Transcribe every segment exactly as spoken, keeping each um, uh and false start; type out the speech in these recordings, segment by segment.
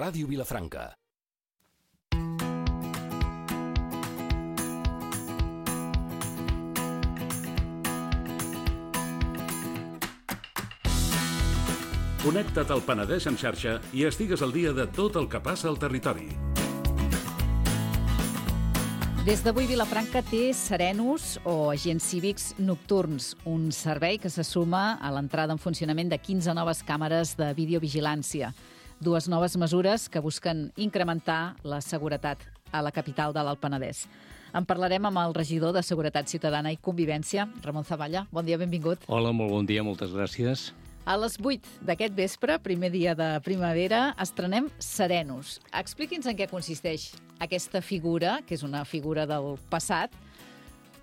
Ràdio Vilafranca. Connecta't al Penedès en xarxa i estigues al dia de tot el que passa al territori. Des d'avui Vilafranca té serenos o agents cívics nocturns, un servei que se suma a l'entrada en funcionament de quinze noves càmeres de videovigilància. Dues noves mesures que busquen incrementar la seguretat a la capital de l'Alt Penedès. En parlarem amb el regidor de Seguretat Ciutadana i Convivència, Ramon Zavalla. Bon dia, benvingut. Hola, molt bon dia, moltes gràcies. A les vuit d'aquest vespre, primer dia de primavera, estrenem Serenos. Expliqui'ns en què consisteix aquesta figura, que és una figura del passat,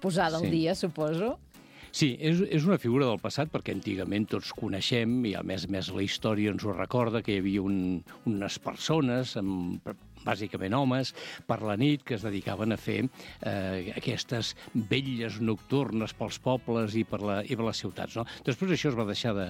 posada al Sí. dia, suposo. Sí, és, és una figura del passat perquè antigament tots coneixem, i a més a més la història ens ho recorda, que hi havia un, unes persones, amb, bàsicament homes, per la nit que es dedicaven a fer eh, aquestes vetlles nocturnes pels pobles i per, la, i per les ciutats. No? Després això es va deixar de,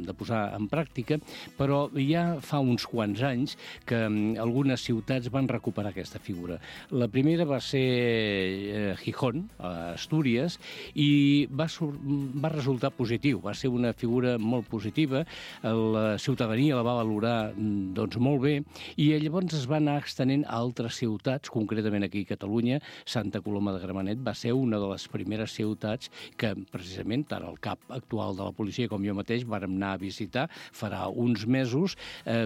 de posar en pràctica, però ja fa uns quants anys que algunes ciutats van recuperar aquesta figura. La primera va ser eh, Gijón, a Astúries, i va, va resultar positiu, va ser una figura molt positiva, la ciutadania la va valorar doncs, molt bé, i llavors es va anar extenent a altres ciutats, concretament aquí a Catalunya. Santa Coloma de Gramenet va ser una de les primeres ciutats que precisament tant el cap actual de la policia com jo mateix vàrem anar a visitar farà uns mesos, eh,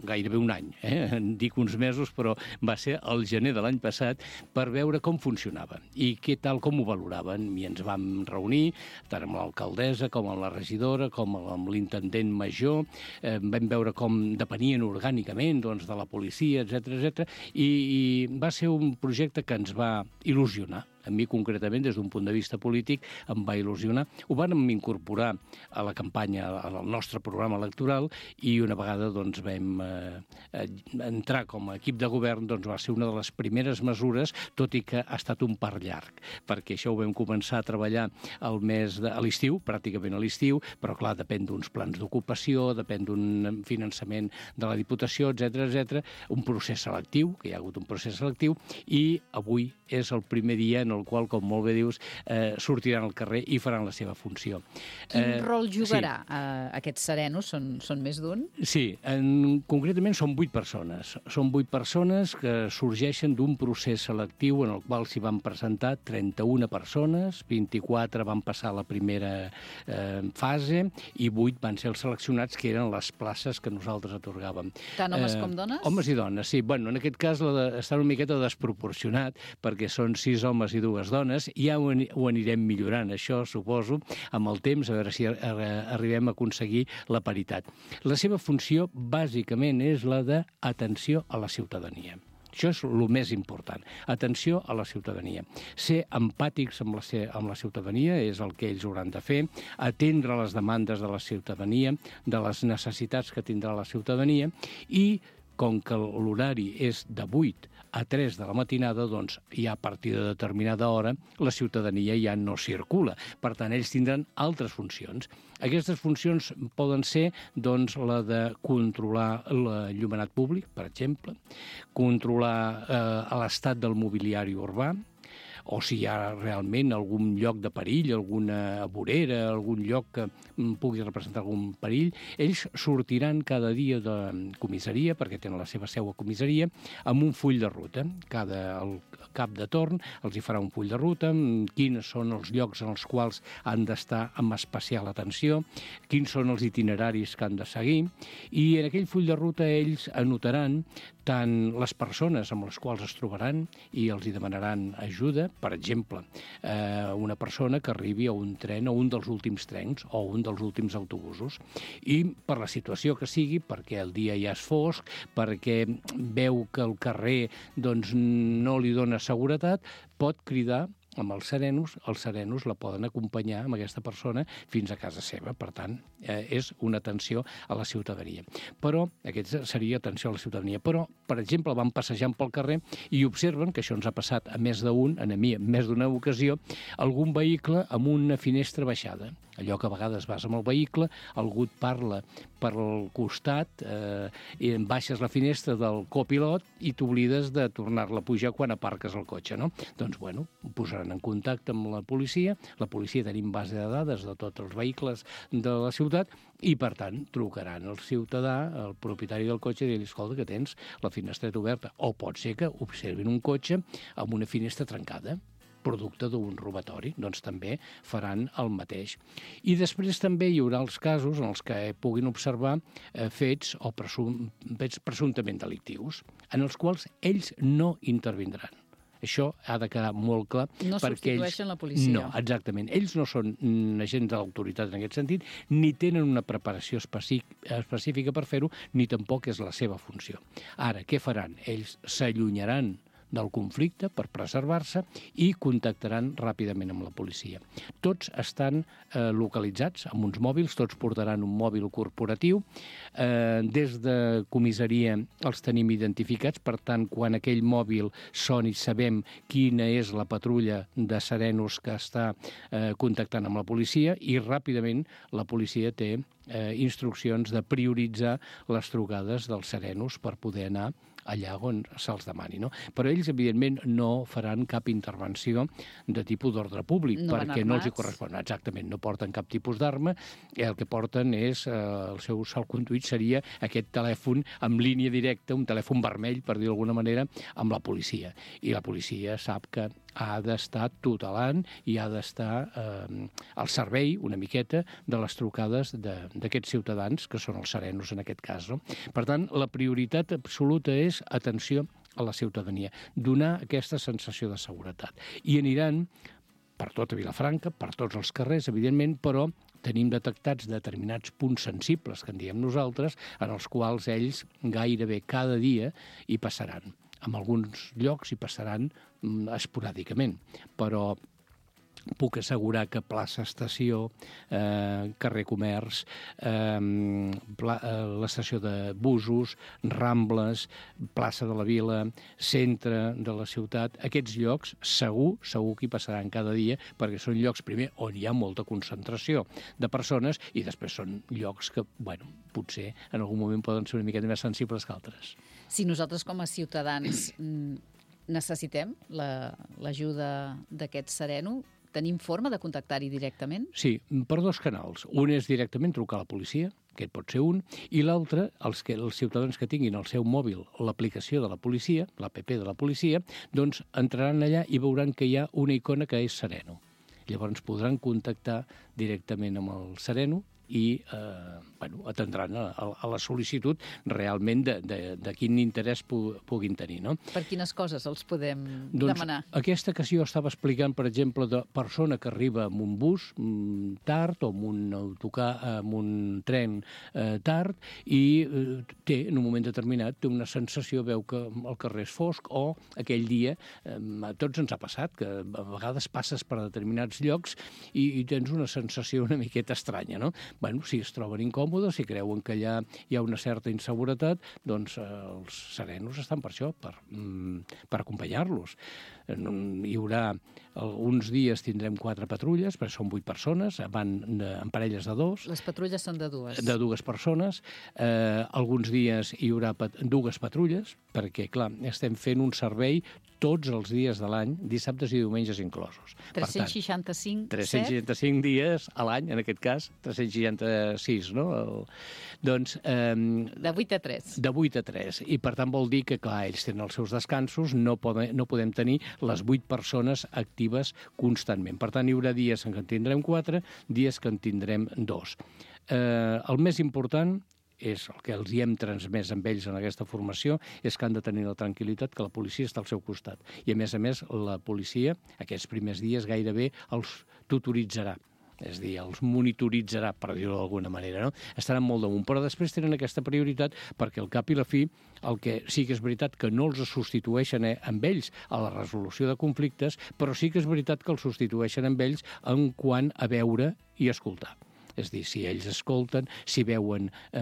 gairebé un any, eh? Dic uns mesos, però va ser el gener de l'any passat, per veure com funcionava i què tal, com ho valoraven. I ens vam reunir tant amb l'alcaldessa com amb la regidora, com amb l'intendent major, eh, vam veure com depenien orgànicament doncs, de la policia, etcètera, etcètera, i, i va ser un projecte que ens va il·lusionar. A mi, concretament, des d'un punt de vista polític, em va il·lusionar. Ho vam incorporar a la campanya, al nostre programa electoral, i una vegada doncs, vam eh, entrar com a equip de govern, doncs, va ser una de les primeres mesures, tot i que ha estat un part llarg, perquè això ho vam començar a treballar al mes de, a l'estiu, pràcticament a l'estiu, però, clar, depèn d'uns plans d'ocupació, depèn d'un finançament de la Diputació, etcètera, etcètera, un procés selectiu, que hi ha hagut un procés selectiu, i avui és el primer dia en el qual, com molt bé dius, eh, sortiran al carrer i faran la seva funció. Quin eh, rol jugarà sí. eh, aquests serenos? Són, són més d'un? Sí, en, concretament són vuit persones. Són vuit persones que sorgeixen d'un procés selectiu en el qual s'hi van presentar trenta-una persones, vint-i-quatre van passar la primera eh, fase i vuit van ser els seleccionats, que eren les places que nosaltres atorgàvem. Tant homes eh, com dones? Homes i dones, sí. Bueno, en aquest cas la de, està una miqueta desproporcionat, perquè són sis homes i dues dones. Ja ho, ho anirem millorant, això, suposo, amb el temps, a veure si arribem a aconseguir la paritat. La seva funció, bàsicament, és la d'atenció a la ciutadania. Això és el més important. Atenció a la ciutadania. Ser empàtics amb la, amb la ciutadania és el que ells hauran de fer, atendre les demandes de la ciutadania, de les necessitats que tindrà la ciutadania, i com que l'horari és de vuit a tres de la matinada, doncs ja a partir de determinada hora la ciutadania ja no circula. Per tant, ells tindran altres funcions. Aquestes funcions poden ser doncs, la de controlar l'enllumenat públic, per exemple, controlar eh, l'estat del mobiliari urbà, o si hi ha realment algun lloc de perill, alguna vorera, algun lloc que pugui representar algun perill. Ells sortiran cada dia de comissaria, perquè tenen la seva seu a comissaria, amb un full de ruta. Cada el cap de torn els hi farà un full de ruta, quins són els llocs en els quals han d'estar amb especial atenció, quins són els itineraris que han de seguir, i en aquell full de ruta ells anotaran tant les persones amb les quals es trobaran i els hi demanaran ajuda. Per exemple, eh, una persona que arribi a un tren o un dels últims trens o un dels últims autobusos, i per la situació que sigui, perquè el dia ja és fosc, perquè veu que el carrer doncs, no li dona seguretat, pot cridar amb els serenos, els serenos la poden acompanyar amb aquesta persona fins a casa seva. Per tant, eh, és una atenció a la ciutadania. Però, aquesta seria atenció a la ciutadania. Però, per exemple, van passejant pel carrer i observen, que això ens ha passat a més d'un, a mi, en més d'una ocasió, algun vehicle amb una finestra baixada. Allò que a vegades vas amb el vehicle, algú et parla per al costat, eh, i baixes la finestra del copilot i t'oblides de tornar-la a pujar quan aparques el cotxe, no? Doncs, bueno, ho posaran en contacte amb la policia. La policia tenim base de dades de tots els vehicles de la ciutat i, per tant, trucaran al ciutadà, al propietari del cotxe, i dir-li, escolta, que tens la finestreta oberta. O pot ser que observin un cotxe amb una finestra trencada, producte d'un robatori, doncs també faran el mateix. I després també hi haurà els casos en els que puguin observar eh, fets o presum, fets presumptament delictius, en els quals ells no intervindran. Això ha de quedar molt clar. No substitueixen la policia. No, exactament. Ells no són agents de l'autoritat en aquest sentit, ni tenen una preparació específica per fer-ho, ni tampoc és la seva funció. Ara, què faran? Ells s'allunyaran del conflicte per preservar-se i contactaran ràpidament amb la policia. Tots estan eh, localitzats amb uns mòbils, tots portaran un mòbil corporatiu. Eh, des de comissaria els tenim identificats, per tant, quan aquell mòbil soni sabem quina és la patrulla de serenos que està eh, contactant amb la policia i ràpidament la policia té eh, instruccions de prioritzar les trucades dels serenos per poder anar allà on se'ls demani, no? Però ells, evidentment, no faran cap intervenció de tipus d'ordre públic, no perquè no els hi correspon. Exactament, no porten cap tipus d'arma, el que porten és, eh, el seu salconduit seria aquest telèfon amb línia directa, un telèfon vermell, per dir d'alguna manera, amb la policia. I la policia sap que ha d'estar tutelant i ha d'estar eh, al servei, una miqueta, de les trucades d'aquests ciutadans, que són els serenos en aquest cas, no? Per tant, la prioritat absoluta és atenció a la ciutadania, donar aquesta sensació de seguretat. I aniran per tota Vilafranca, per tots els carrers, evidentment, però tenim detectats determinats punts sensibles, que en diem nosaltres, en els quals ells gairebé cada dia hi passaran. En alguns llocs hi passaran mm, esporàdicament, però puc assegurar que plaça Estació, eh, carrer Comerç, eh, pla, eh, l'estació de busos, Rambles, plaça de la Vila, centre de la ciutat, aquests llocs segur, segur que hi passaran cada dia, perquè són llocs, primer, on hi ha molta concentració de persones i després són llocs que, bueno, potser en algun moment poden ser una miqueta més sensibles que altres. Si nosaltres com a ciutadans necessitem l'ajuda d'aquest sereno, tenim forma de contactar-hi directament? Sí, per dos canals. Un és directament trucar a la policia, aquest pot ser un, i l'altre, els, que, els ciutadans que tinguin al seu mòbil l'aplicació de la policia, l'app de la policia, doncs entraran allà i veuran que hi ha una icona que és Sereno. Llavors podran contactar directament amb el Sereno i eh, bueno, atendran a, a la sol·licitud realment de, de, de quin interès pu, puguin tenir. No? Per quines coses els podem doncs, demanar? Aquesta que jo estava explicant, per exemple, de persona que arriba amb un bus mm, tard o amb un autocar, amb un tren eh, tard i eh, té, en un moment determinat, té una sensació, veu que el carrer és fosc o aquell dia, eh, a tots ens ha passat, que a vegades passes per determinats llocs i, i tens una sensació una miqueta estranya, no? Bueno, si es troben incòmodes, si creuen que allà hi ha una certa inseguretat, doncs eh, els serenos estan per això, per, mm, per acompanyar-los. Hi haurà, uns dies tindrem quatre patrulles, perquè són vuit persones, van de, en parelles de dos. Les patrulles són de dues. De dues persones. Eh, alguns dies hi haurà pat dues patrulles, perquè, clar, estem fent un servei tots els dies de l'any, dissabtes i diumenges inclosos. tres-cents seixanta-cinc, tres-cents seixanta-cinc dies a l'any, en aquest cas, tres-cents seixanta-sis, no? El, doncs... Eh, de vuit a tres. De vuit a tres. I, per tant, vol dir que, clar, ells tenen els seus descansos, no, poden, no podem tenir les vuit persones actives constantment. Per tant, hi haurà dies en què en tindrem quatre, dies que en tindrem dos. Eh, el més important és el que els hi hem transmès amb ells en aquesta formació, és que han de tenir la tranquil·litat que la policia està al seu costat. I, a més a més, la policia, aquests primers dies, gairebé els tutoritzarà és a dir, els monitoritzarà, per dir-ho d'alguna manera, no? Estaran molt damunt, però després tenen aquesta prioritat perquè al cap i la fi el que sí que és veritat que no els substitueixen eh, amb ells a la resolució de conflictes, però sí que és veritat que els substitueixen amb ells en quant a veure i escoltar. És a dir, si ells escolten, si veuen eh,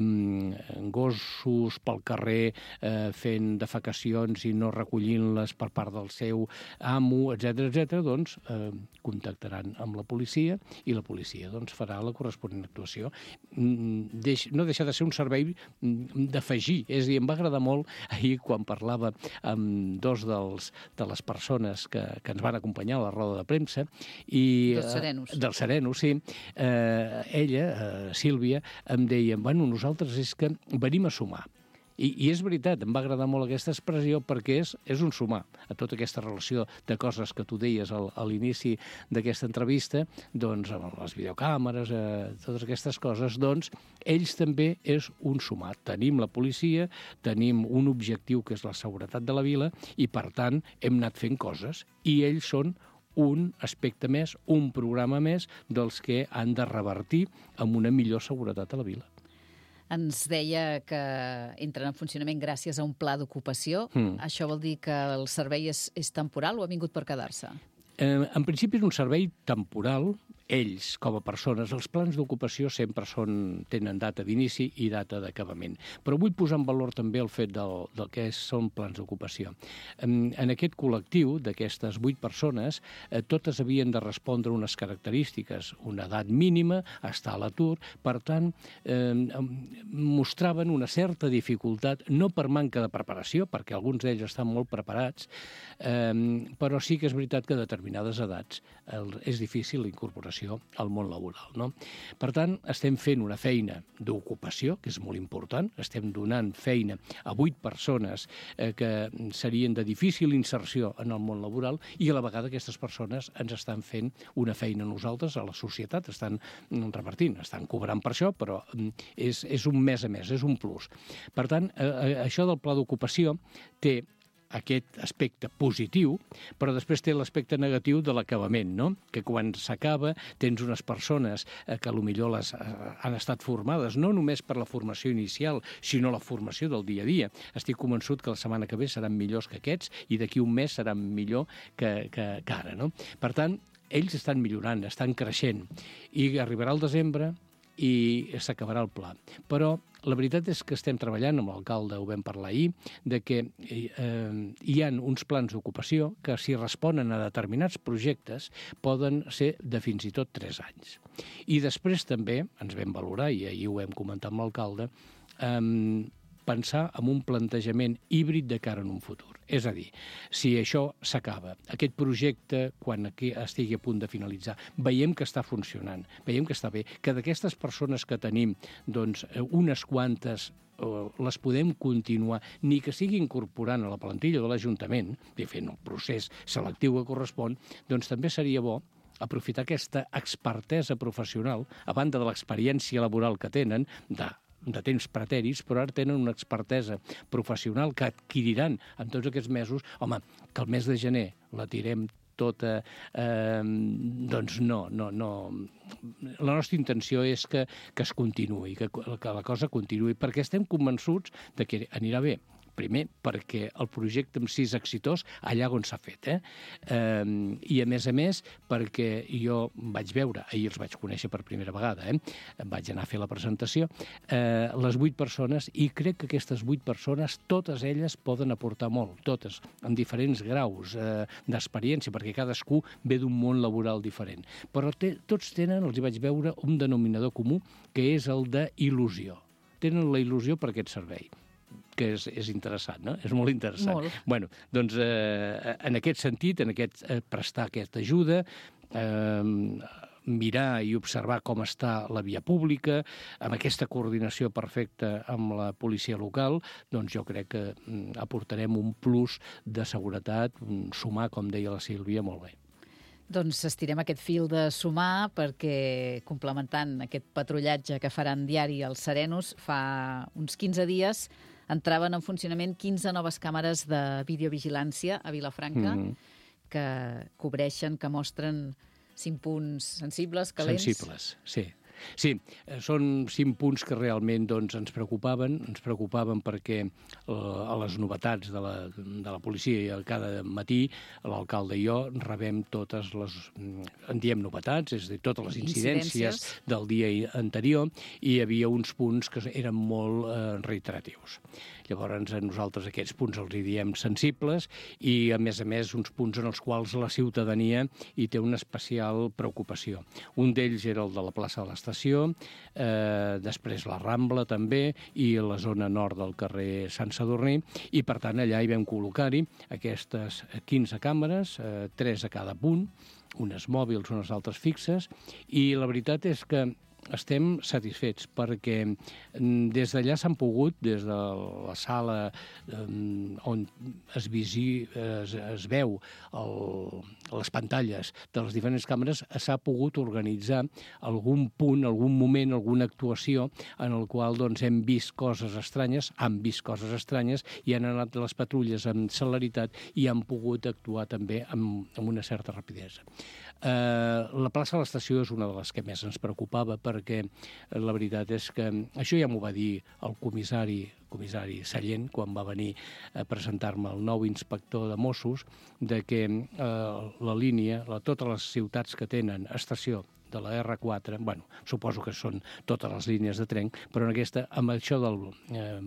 gossos pel carrer eh, fent defecacions i no recollint-les per part del seu amo, etcètera, etcètera, doncs eh, contactaran amb la policia i la policia doncs, farà la corresponent actuació. Deix, no deixa de ser un servei d'afegir. És a dir, em va agradar molt ahir quan parlava amb dos dels, de les persones que, que ens van acompanyar a la roda de premsa. I, dels serenos. Eh, dels serenos, sí. Eh, ella, eh, Sílvia, em deia, bueno, nosaltres és que venim a sumar. I, I és veritat, em va agradar molt aquesta expressió perquè és, és un sumar a tota aquesta relació de coses que tu deies al, a l'inici d'aquesta entrevista, doncs amb les videocàmeres, eh, totes aquestes coses, doncs ells també és un sumar. Tenim la policia, tenim un objectiu que és la seguretat de la vila i, per tant, hem anat fent coses i ells són un aspecte més, un programa més dels que han de revertir amb una millor seguretat a la vila. Ens deia que entren en funcionament gràcies a un pla d'ocupació. Mm. Això vol dir que el servei és, és temporal o ha vingut per quedar-se? Eh, en principi és un servei temporal. Ells, com a persones, els plans d'ocupació sempre són, tenen data d'inici i data d'acabament. Però vull posar en valor també el fet del, del que són plans d'ocupació. En, en aquest col·lectiu d'aquestes vuit persones, eh, totes havien de respondre unes característiques, una edat mínima, estar a l'atur, per tant, eh, mostraven una certa dificultat, no per manca de preparació, perquè alguns d'ells estan molt preparats, eh, però sí que és veritat que a determinades edats el, és difícil la incorporació al món laboral, no? Per tant, estem fent una feina d'ocupació, que és molt important, estem donant feina a vuit persones eh, que serien de difícil inserció en el món laboral i a la vegada aquestes persones ens estan fent una feina a nosaltres, a la societat, estan repartint, estan cobrant per això, però és, és un mes a mes, és un plus. Per tant, eh, això del pla d'ocupació té aquest aspecte positiu, però després té l'aspecte negatiu de l'acabament, no? Que quan s'acaba tens unes persones eh, que potser les eh, han estat formades, no només per la formació inicial, sinó la formació del dia a dia. Estic convençut que la setmana que ve seran millors que aquests i d'aquí un mes seran millor que, que, que ara, no? Per tant, ells estan millorant, estan creixent, i arribarà el desembre i s'acabarà el pla. Però la veritat és que estem treballant, amb l'alcalde ho vam parlar ahir, de que eh, hi ha uns plans d'ocupació que, si responen a determinats projectes, poden ser de fins i tot tres anys. I després també ens vam valorar, i ahir ho vam comentar amb l'alcalde, eh, pensar en un plantejament híbrid de cara en un futur. És a dir, si això s'acaba, aquest projecte, quan aquí estigui a punt de finalitzar, veiem que està funcionant, veiem que està bé, que d'aquestes persones que tenim, doncs, unes quantes les podem continuar, ni que sigui incorporant a la plantilla de l'Ajuntament, i fent el procés selectiu que correspon, doncs també seria bo aprofitar aquesta expertesa professional, a banda de l'experiència laboral que tenen, de de temps preteris, però ara tenen una expertesa professional que adquiriran en tots aquests mesos. Home, que el mes de gener la tirem tota, eh, doncs no, no, no. La nostra intenció és que, que es continuï, que, que la cosa continuï, perquè estem convençuts de que anirà bé. Primer, perquè el projecte en si és exitós allà on s'ha fet. Eh? Eh, I, a més a més, perquè jo vaig veure, ahir els vaig conèixer per primera vegada, eh? Vaig anar a fer la presentació, eh, les vuit persones, i crec que aquestes vuit persones, totes elles poden aportar molt, totes, en diferents graus eh, d'experiència, perquè cadascú ve d'un món laboral diferent. Però te, tots tenen, els hi vaig veure, un denominador comú, que és el d'il·lusió. Tenen la il·lusió per aquest servei, que és, és interessant, no? És molt interessant. Molt. Bueno, doncs, eh, en aquest sentit, en aquest, eh, prestar aquesta ajuda, eh, mirar i observar com està la via pública, amb aquesta coordinació perfecta amb la policia local, doncs jo crec que mm, aportarem un plus de seguretat, un sumar, com deia la Sílvia, molt bé. Doncs estirem aquest fil de sumar perquè, complementant aquest patrullatge que faran diari els serenos, fa uns quinze dies entraven en funcionament quinze noves càmeres de videovigilància a Vilafranca, mm-hmm. que cobreixen, que mostren cinc punts sensibles, calents... Sensibles, sí. Sí, són cinc punts que realment doncs, ens preocupaven, ens preocupaven perquè eh, a les novetats de la, de la policia cada matí l'alcalde i jo rebem totes les, en diem novetats, és a dir, totes les incidències, incidències del dia anterior, i hi havia uns punts que eren molt eh, reiteratius. Llavors, a nosaltres aquests punts els hi diem sensibles i, a més a més, uns punts en els quals la ciutadania hi té una especial preocupació. Un d'ells era el de la plaça de l'Estació, eh, després la Rambla també i la zona nord del carrer Sant Sadurní, i, per tant, allà hi vam col·locar-hi aquestes quinze càmeres, eh, tres a cada punt, unes mòbils, unes altres fixes, i la veritat és que estem satisfets perquè des d'allà s'han pogut, des de la sala on es, visi, es, es veu el, les pantalles de les diferents càmeres, s'ha pogut organitzar algun punt, algun moment, alguna actuació en el qual doncs, hem vist coses estranyes, han vist coses estranyes i han anat les patrulles amb celeritat i han pogut actuar també amb, amb una certa rapidesa. Eh, la plaça de l'Estació és una de les que més ens preocupava perquè la veritat és que això ja m'ho va dir el comissari, comissari Sallent quan va venir a presentar-me el nou inspector de Mossos, de que eh, la línia, la, totes les ciutats que tenen estació de la erre quatre, bueno, suposo que són totes les línies de tren, però en aquesta, amb això del eh,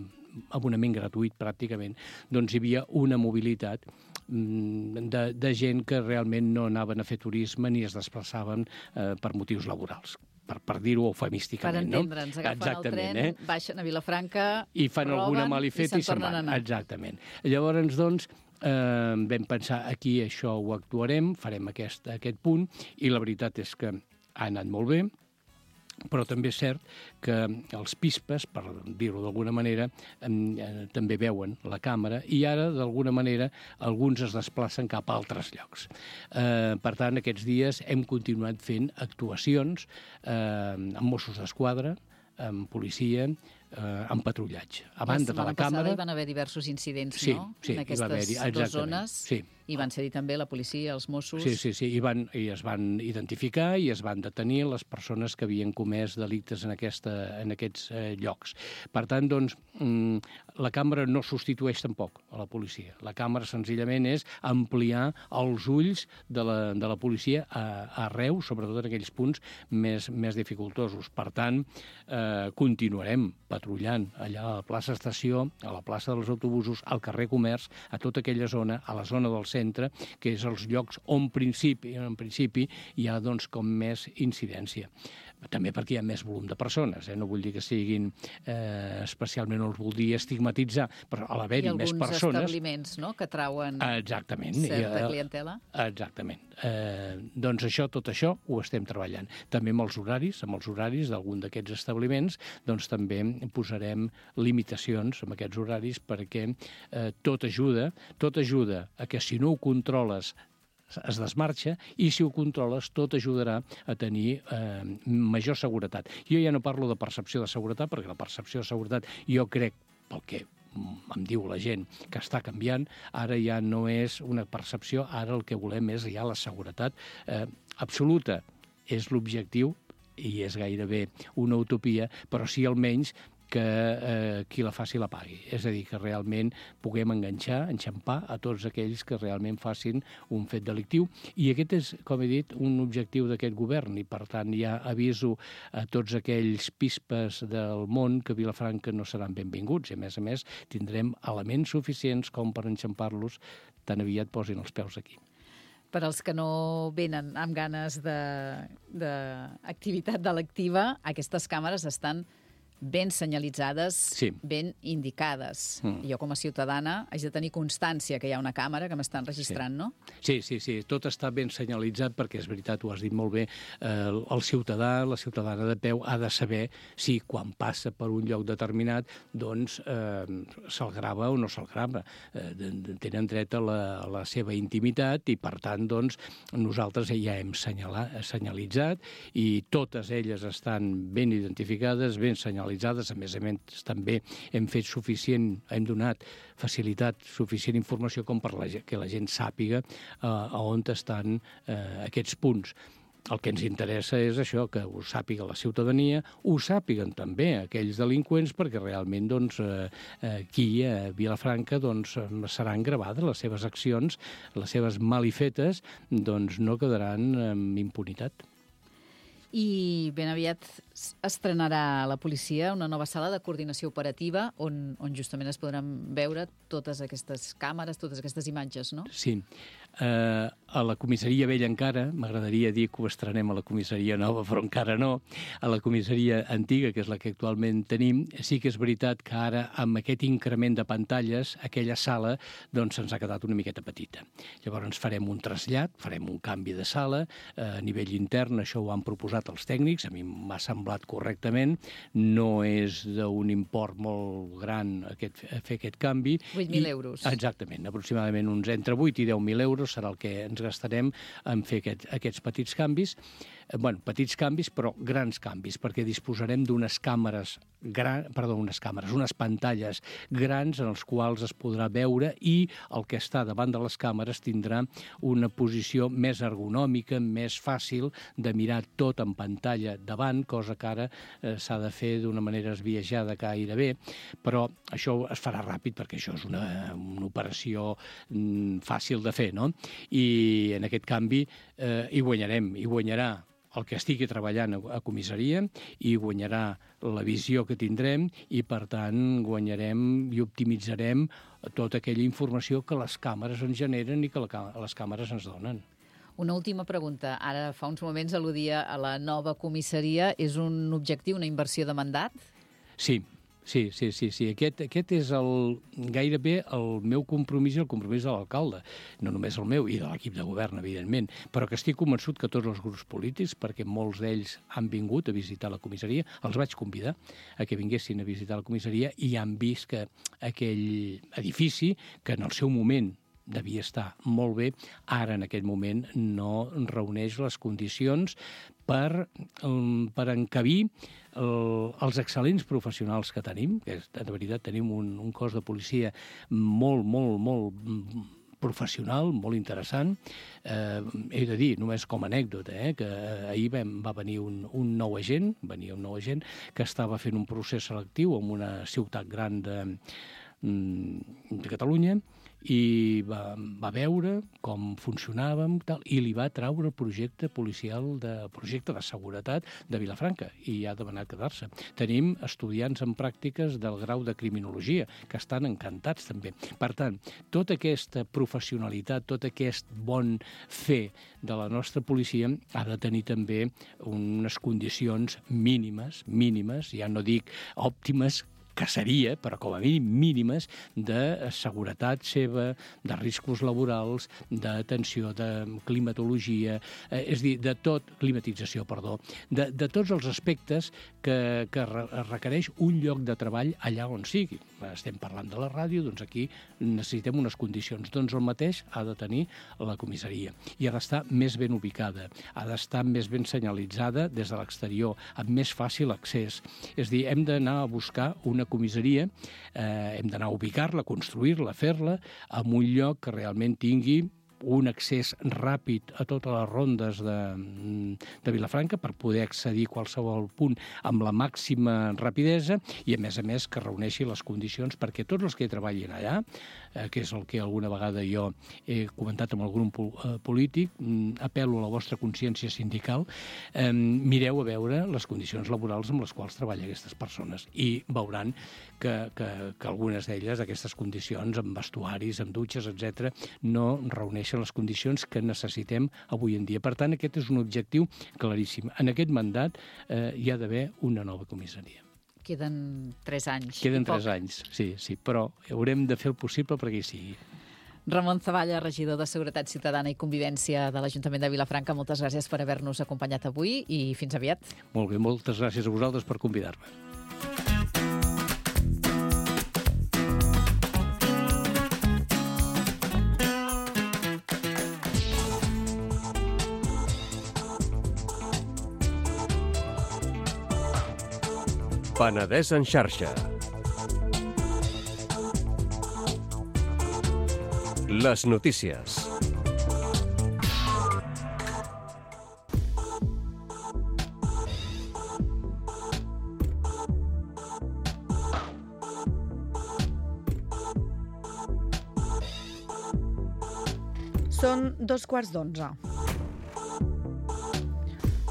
abonament gratuït pràcticament, doncs hi havia una mobilitat de, de gent que realment no anaven a fer turisme ni es desplaçaven eh, per motius laborals, per, per dir-ho eufemísticament. Per entendre'ns, no? Agafen Exactament, el tren, eh? baixen a Vilafranca, i fan roben, alguna malifeta i se'n van. Anar. Exactament. Llavors, doncs, eh, vam pensar aquí això ho actuarem, farem aquest, aquest punt, i la veritat és que ha anat molt bé, però també és cert que els pispes, per dir-ho d'alguna manera, eh, també veuen la càmera i ara, d'alguna manera, alguns es desplacen cap a altres llocs. Eh, per tant, aquests dies hem continuat fent actuacions eh, amb Mossos d'Esquadra, amb policia, eh, amb patrullatge. A banda de la càmera... Hi van haver diversos incidents, sí, no? Sí, en aquestes dues zones. Sí. I van ser-hi també la policia, els Mossos... Sí, sí, sí, I, van, i es van identificar i es van detenir les persones que havien comès delictes en, aquesta, en aquests eh, llocs. Per tant, doncs, mm, la càmera no substitueix tampoc a la policia. La càmera senzillament és ampliar els ulls de la, de la policia a, arreu, sobretot en aquells punts més, més dificultosos. Per tant, eh, continuarem patrullant allà a la plaça Estació, a la plaça dels autobusos, al carrer Comerç, a tota aquella zona, a la zona del centre, que és els llocs on principi, en principi hi ha doncs, com més incidència. També perquè hi ha més volum de persones, eh? No vull dir que siguin eh, especialment, no els vull dir estigmatitzar, però a l'haver-hi més persones... I alguns establiments, no?, que trauen exactament, certa i, clientela. Exactament. Eh, doncs això, tot això ho estem treballant. També amb els horaris, amb els horaris d'algun d'aquests establiments, doncs també posarem limitacions amb aquests horaris perquè eh, tot ajuda, tot ajuda a que si no ho controles es desmarxa, i si ho controles tot ajudarà a tenir eh, major seguretat. Jo ja no parlo de percepció de seguretat, perquè la percepció de seguretat jo crec, pel que em diu la gent, que està canviant, ara ja no és una percepció, ara el que volem és ja la seguretat eh, absoluta. És l'objectiu, i és gairebé una utopia, però sí almenys que eh, qui la faci la pagui. És a dir, que realment puguem enganxar, enxampar a tots aquells que realment facin un fet delictiu. I aquest és, com he dit, un objectiu d'aquest govern i, per tant, ja aviso a tots aquells pispes del món que a Vilafranca no seran benvinguts. I, a més a més, tindrem elements suficients com per enxampar-los tan aviat posin els peus aquí. Per als que no venen amb ganes d'activitat de, delictiva, aquestes càmeres estan ben senyalitzades, sí. ben indicades. Mm. Jo, com a ciutadana, haig de tenir constància que hi ha una càmera que m'estan registrant, sí. no? Sí, sí, sí. Tot està ben senyalitzat perquè, és veritat, ho has dit molt bé, eh, el ciutadà, la ciutadana de peu ha de saber si quan passa per un lloc determinat doncs eh, se'l grava o no se'l grava. Eh, tenen dret a la, a la seva intimitat i, per tant, doncs, nosaltres ja hem senyalat, senyalitzat i totes elles estan ben identificades, ben senyalitzades. A més a més, també hem fet suficient, hem donat facilitat, suficient informació com per la, que la gent sàpiga eh, a on estan eh, aquests punts. el que ens interessa és això, que ho sàpiga la ciutadania, ho sàpiguen també aquells delinqüents, perquè realment doncs, eh, aquí a Vilafranca doncs, seran gravades les seves accions, les seves malifetes, doncs no quedaran amb impunitat. I ben aviat estrenarà la policia una nova sala de coordinació operativa on, on justament es podran veure totes aquestes càmeres, totes aquestes imatges, no? Sí. Uh, a la comissaria vella encara, m'agradaria dir que ho estrenem a la comissaria nova, però encara no. A la comissaria antiga, que és la que actualment tenim, sí que és veritat que ara, amb aquest increment de pantalles, aquella sala doncs se'ns ha quedat una miqueta petita. Llavors ens farem un trasllat, farem un canvi de sala, uh, a nivell intern, això ho han proposat els tècnics, a mi m'ha semblat correctament, no és d'un import molt gran aquest, fer aquest canvi. vuit mil euros. Exactament, aproximadament uns entre vuit i deu mil euros serà el que ens gastarem en fer aquest, aquests petits canvis. Eh, bueno, petits canvis, però grans canvis, perquè disposarem d'unes càmeres, gran, perdó, unes càmeres, unes pantalles grans en els quals es podrà veure i el que està davant de les càmeres tindrà una posició més ergonòmica, més fàcil de mirar tot en pantalla davant, cosa que ara eh, s'ha de fer d'una manera esbiaixada gairebé, però això es farà ràpid perquè això és una, una operació mm, fàcil de fer, no? I en aquest canvi eh, hi guanyarem, hi guanyarà el que estigui treballant a comissaria, i guanyarà la visió que tindrem i, per tant, guanyarem i optimitzarem tota aquella informació que les càmeres ens generen i que la, les càmeres ens donen. Una última pregunta. Ara, fa uns moments al·ludia a la nova comissaria. És un objectiu, una inversió de mandat? Sí. Sí, sí, sí, sí. Aquest, aquest és el, gairebé el meu compromís i el compromís de l'alcalde. No només el meu i de l'equip de govern, evidentment, però que estic convençut que tots els grups polítics, perquè molts d'ells han vingut a visitar la comissaria, els vaig convidar a que vinguessin a visitar la comissaria i han vist que aquell edifici, que en el seu moment devia estar molt bé, ara en aquest moment no reuneix les condicions per, um, per encabir el, els excel·lents professionals que tenim, que és, de veritat tenim un, un cos de policia molt, molt, molt professional, molt interessant. Eh, he de dir, només com a anècdota, eh, que ahir vam, va venir un, un nou agent, venia un nou agent que estava fent un procés selectiu en una ciutat gran de, de Catalunya, i va, va veure com funcionàvem tal, i li va traure el projecte policial, de projecte de seguretat de Vilafranca, i ha demanat quedar-se. Tenim estudiants en pràctiques del grau de criminologia, que estan encantats també. Per tant, tota aquesta professionalitat, tot aquest bon fer de la nostra policia ha de tenir també unes condicions mínimes, mínimes, ja no dic òptimes, que seria, però com a mínim mínimes, de seguretat seva, de riscos laborals, d'atenció, de climatologia, eh, és a dir, de tot, climatització, perdó, de, de tots els aspectes que, que requereix un lloc de treball allà on sigui. Estem parlant de la ràdio, doncs aquí necessitem unes condicions. Doncs el mateix ha de tenir la comissaria. I ha d'estar més ben ubicada, ha d'estar més ben senyalitzada des de l'exterior, amb més fàcil accés. És a dir, hem d'anar a buscar una comissaria, eh, hem d'anar a ubicar-la, construir-la, fer-la, en un lloc que realment tingui un accés ràpid a totes les rondes de, de Vilafranca per poder accedir a qualsevol punt amb la màxima rapidesa i, a més a més, que reuneixi les condicions perquè tots els que treballin allà, eh, que és el que alguna vegada jo he comentat amb algun polític, apel·lo a la vostra consciència sindical, eh, mireu a veure les condicions laborals amb les quals treballen aquestes persones i veuran que, que, que algunes d'elles, aquestes condicions, amb vestuaris, amb dutxes, etcètera, no reuneixen les condicions que necessitem avui en dia. Per tant, aquest és un objectiu claríssim. En aquest mandat eh, hi ha d'haver una nova comissaria. Queden tres anys. Queden tres anys, sí, sí, però haurem de fer el possible perquè hi sigui. Ramon Zavalla, regidor de Seguretat Ciutadana i Convivència de l'Ajuntament de Vilafranca, moltes gràcies per haver-nos acompanyat avui i fins aviat. Molt bé, moltes gràcies a vosaltres per convidar-me. Penedès en xarxa. Les notícies. Són dos quarts d'onze.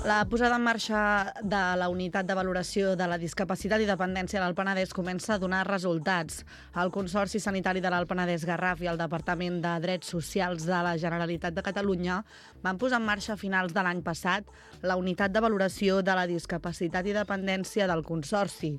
La posada en marxa de la unitat de valoració de la discapacitat i dependència del Penedès comença a donar resultats. El Consorci Sanitari de l'Alt Penedès Garraf i el Departament de Drets Socials de la Generalitat de Catalunya van posar en marxa a finals de l'any passat la unitat de valoració de la discapacitat i dependència del Consorci.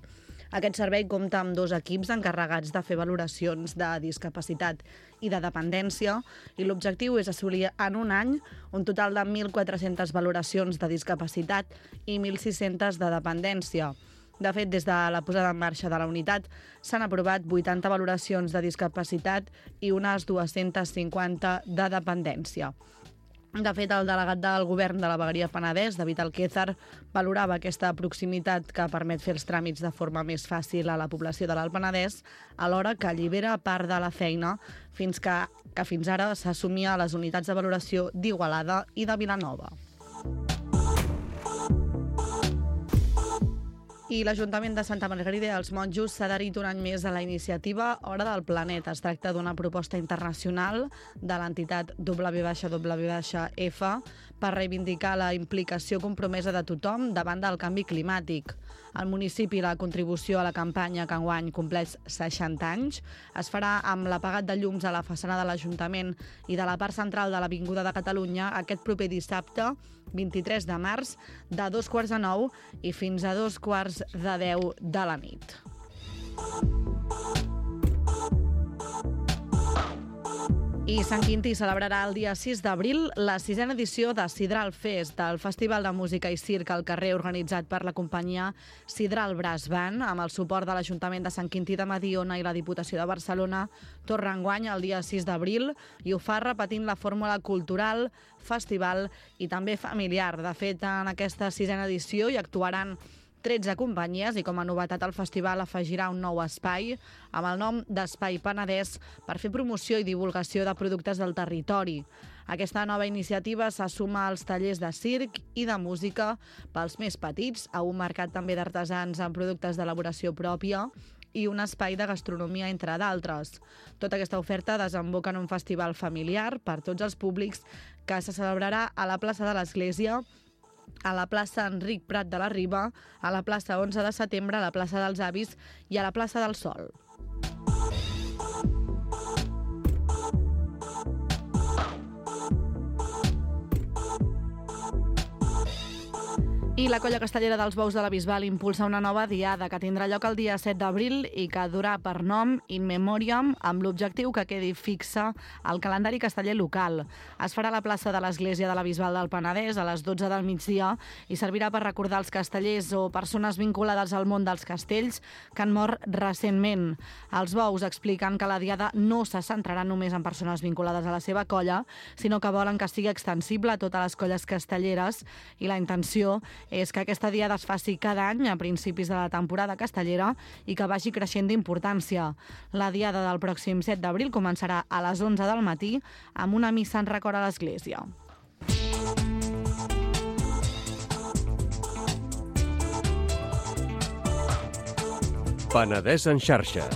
Aquest servei compta amb dos equips encarregats de fer valoracions de discapacitat i de dependència i l'objectiu és assolir en un any un total de mil quatre-centes valoracions de discapacitat i mil sis-centes de dependència. De fet, des de la posada en marxa de la unitat s'han aprovat vuitanta valoracions de discapacitat i unes dues-centes cinquanta de dependència. De fet, el delegat del govern de la vegueria Penedès, David Alquézar, valorava aquesta proximitat que permet fer els tràmits de forma més fàcil a la població de l'Alt Penedès, alhora que allibera part de la feina fins que, que fins ara s'assumia a les unitats de valoració d'Igualada i de Vilanova. I l'Ajuntament de Santa Margarida i els Monjos s'ha adherit un any més a la iniciativa Hora del Planeta. Es tracta d'una proposta internacional de l'entitat W W F per reivindicar la implicació compromesa de tothom davant del canvi climàtic. Al municipi la contribució a la campanya que enguany compleix seixanta anys es farà amb l'apagat de llums a la façana de l'Ajuntament i de la part central de l'Avinguda de Catalunya aquest proper dissabte, vint-i-tres de març, de dos quarts de nou i fins a dos quarts de deu de la nit. I Sant Quintí celebrarà el dia sis d'abril la sisena edició de Sidral Fest, del Festival de Música i Circ al carrer organitzat per la companyia Sidral Brass Band, amb el suport de l'Ajuntament de Sant Quintí de Mediona i la Diputació de Barcelona. Torna enguany el dia sis d'abril i ho fa repetint la fórmula cultural, festival i també familiar. De fet, en aquesta sisena edició hi actuaran tretze companyies i com a novetat el festival afegirà un nou espai amb el nom d'Espai Penedès per fer promoció i divulgació de productes del territori. Aquesta nova iniciativa s'assuma als tallers de circ i de música pels més petits, a un mercat també d'artesans amb productes d'elaboració pròpia i un espai de gastronomia, entre d'altres. Tota aquesta oferta desemboca en un festival familiar per tots els públics que se celebrarà a la plaça de l'Església, a la plaça Enric Prat de la Riba, a la plaça onze de setembre, a la plaça dels Avis i a la plaça del Sol. I la Colla Castellera dels Bous de la Bisbal impulsa una nova diada que tindrà lloc el dia set d'abril i que durà per nom In Memoriam, amb l'objectiu que quedi fixa al calendari casteller local. Es farà a la plaça de l'Església de la Bisbal del Penedès a les dotze del migdia i servirà per recordar els castellers o persones vinculades al món dels castells que han mort recentment. Els Bous expliquen que la diada no se centrarà només en persones vinculades a la seva colla, sinó que volen que sigui extensible a totes les colles castelleres i la intenció és que aquesta diada es faci cada any a principis de la temporada castellera i que vagi creixent d'importància. La diada del pròxim set d'abril començarà a les onze del matí amb una missa en record a l'església. Penedès en xarxa.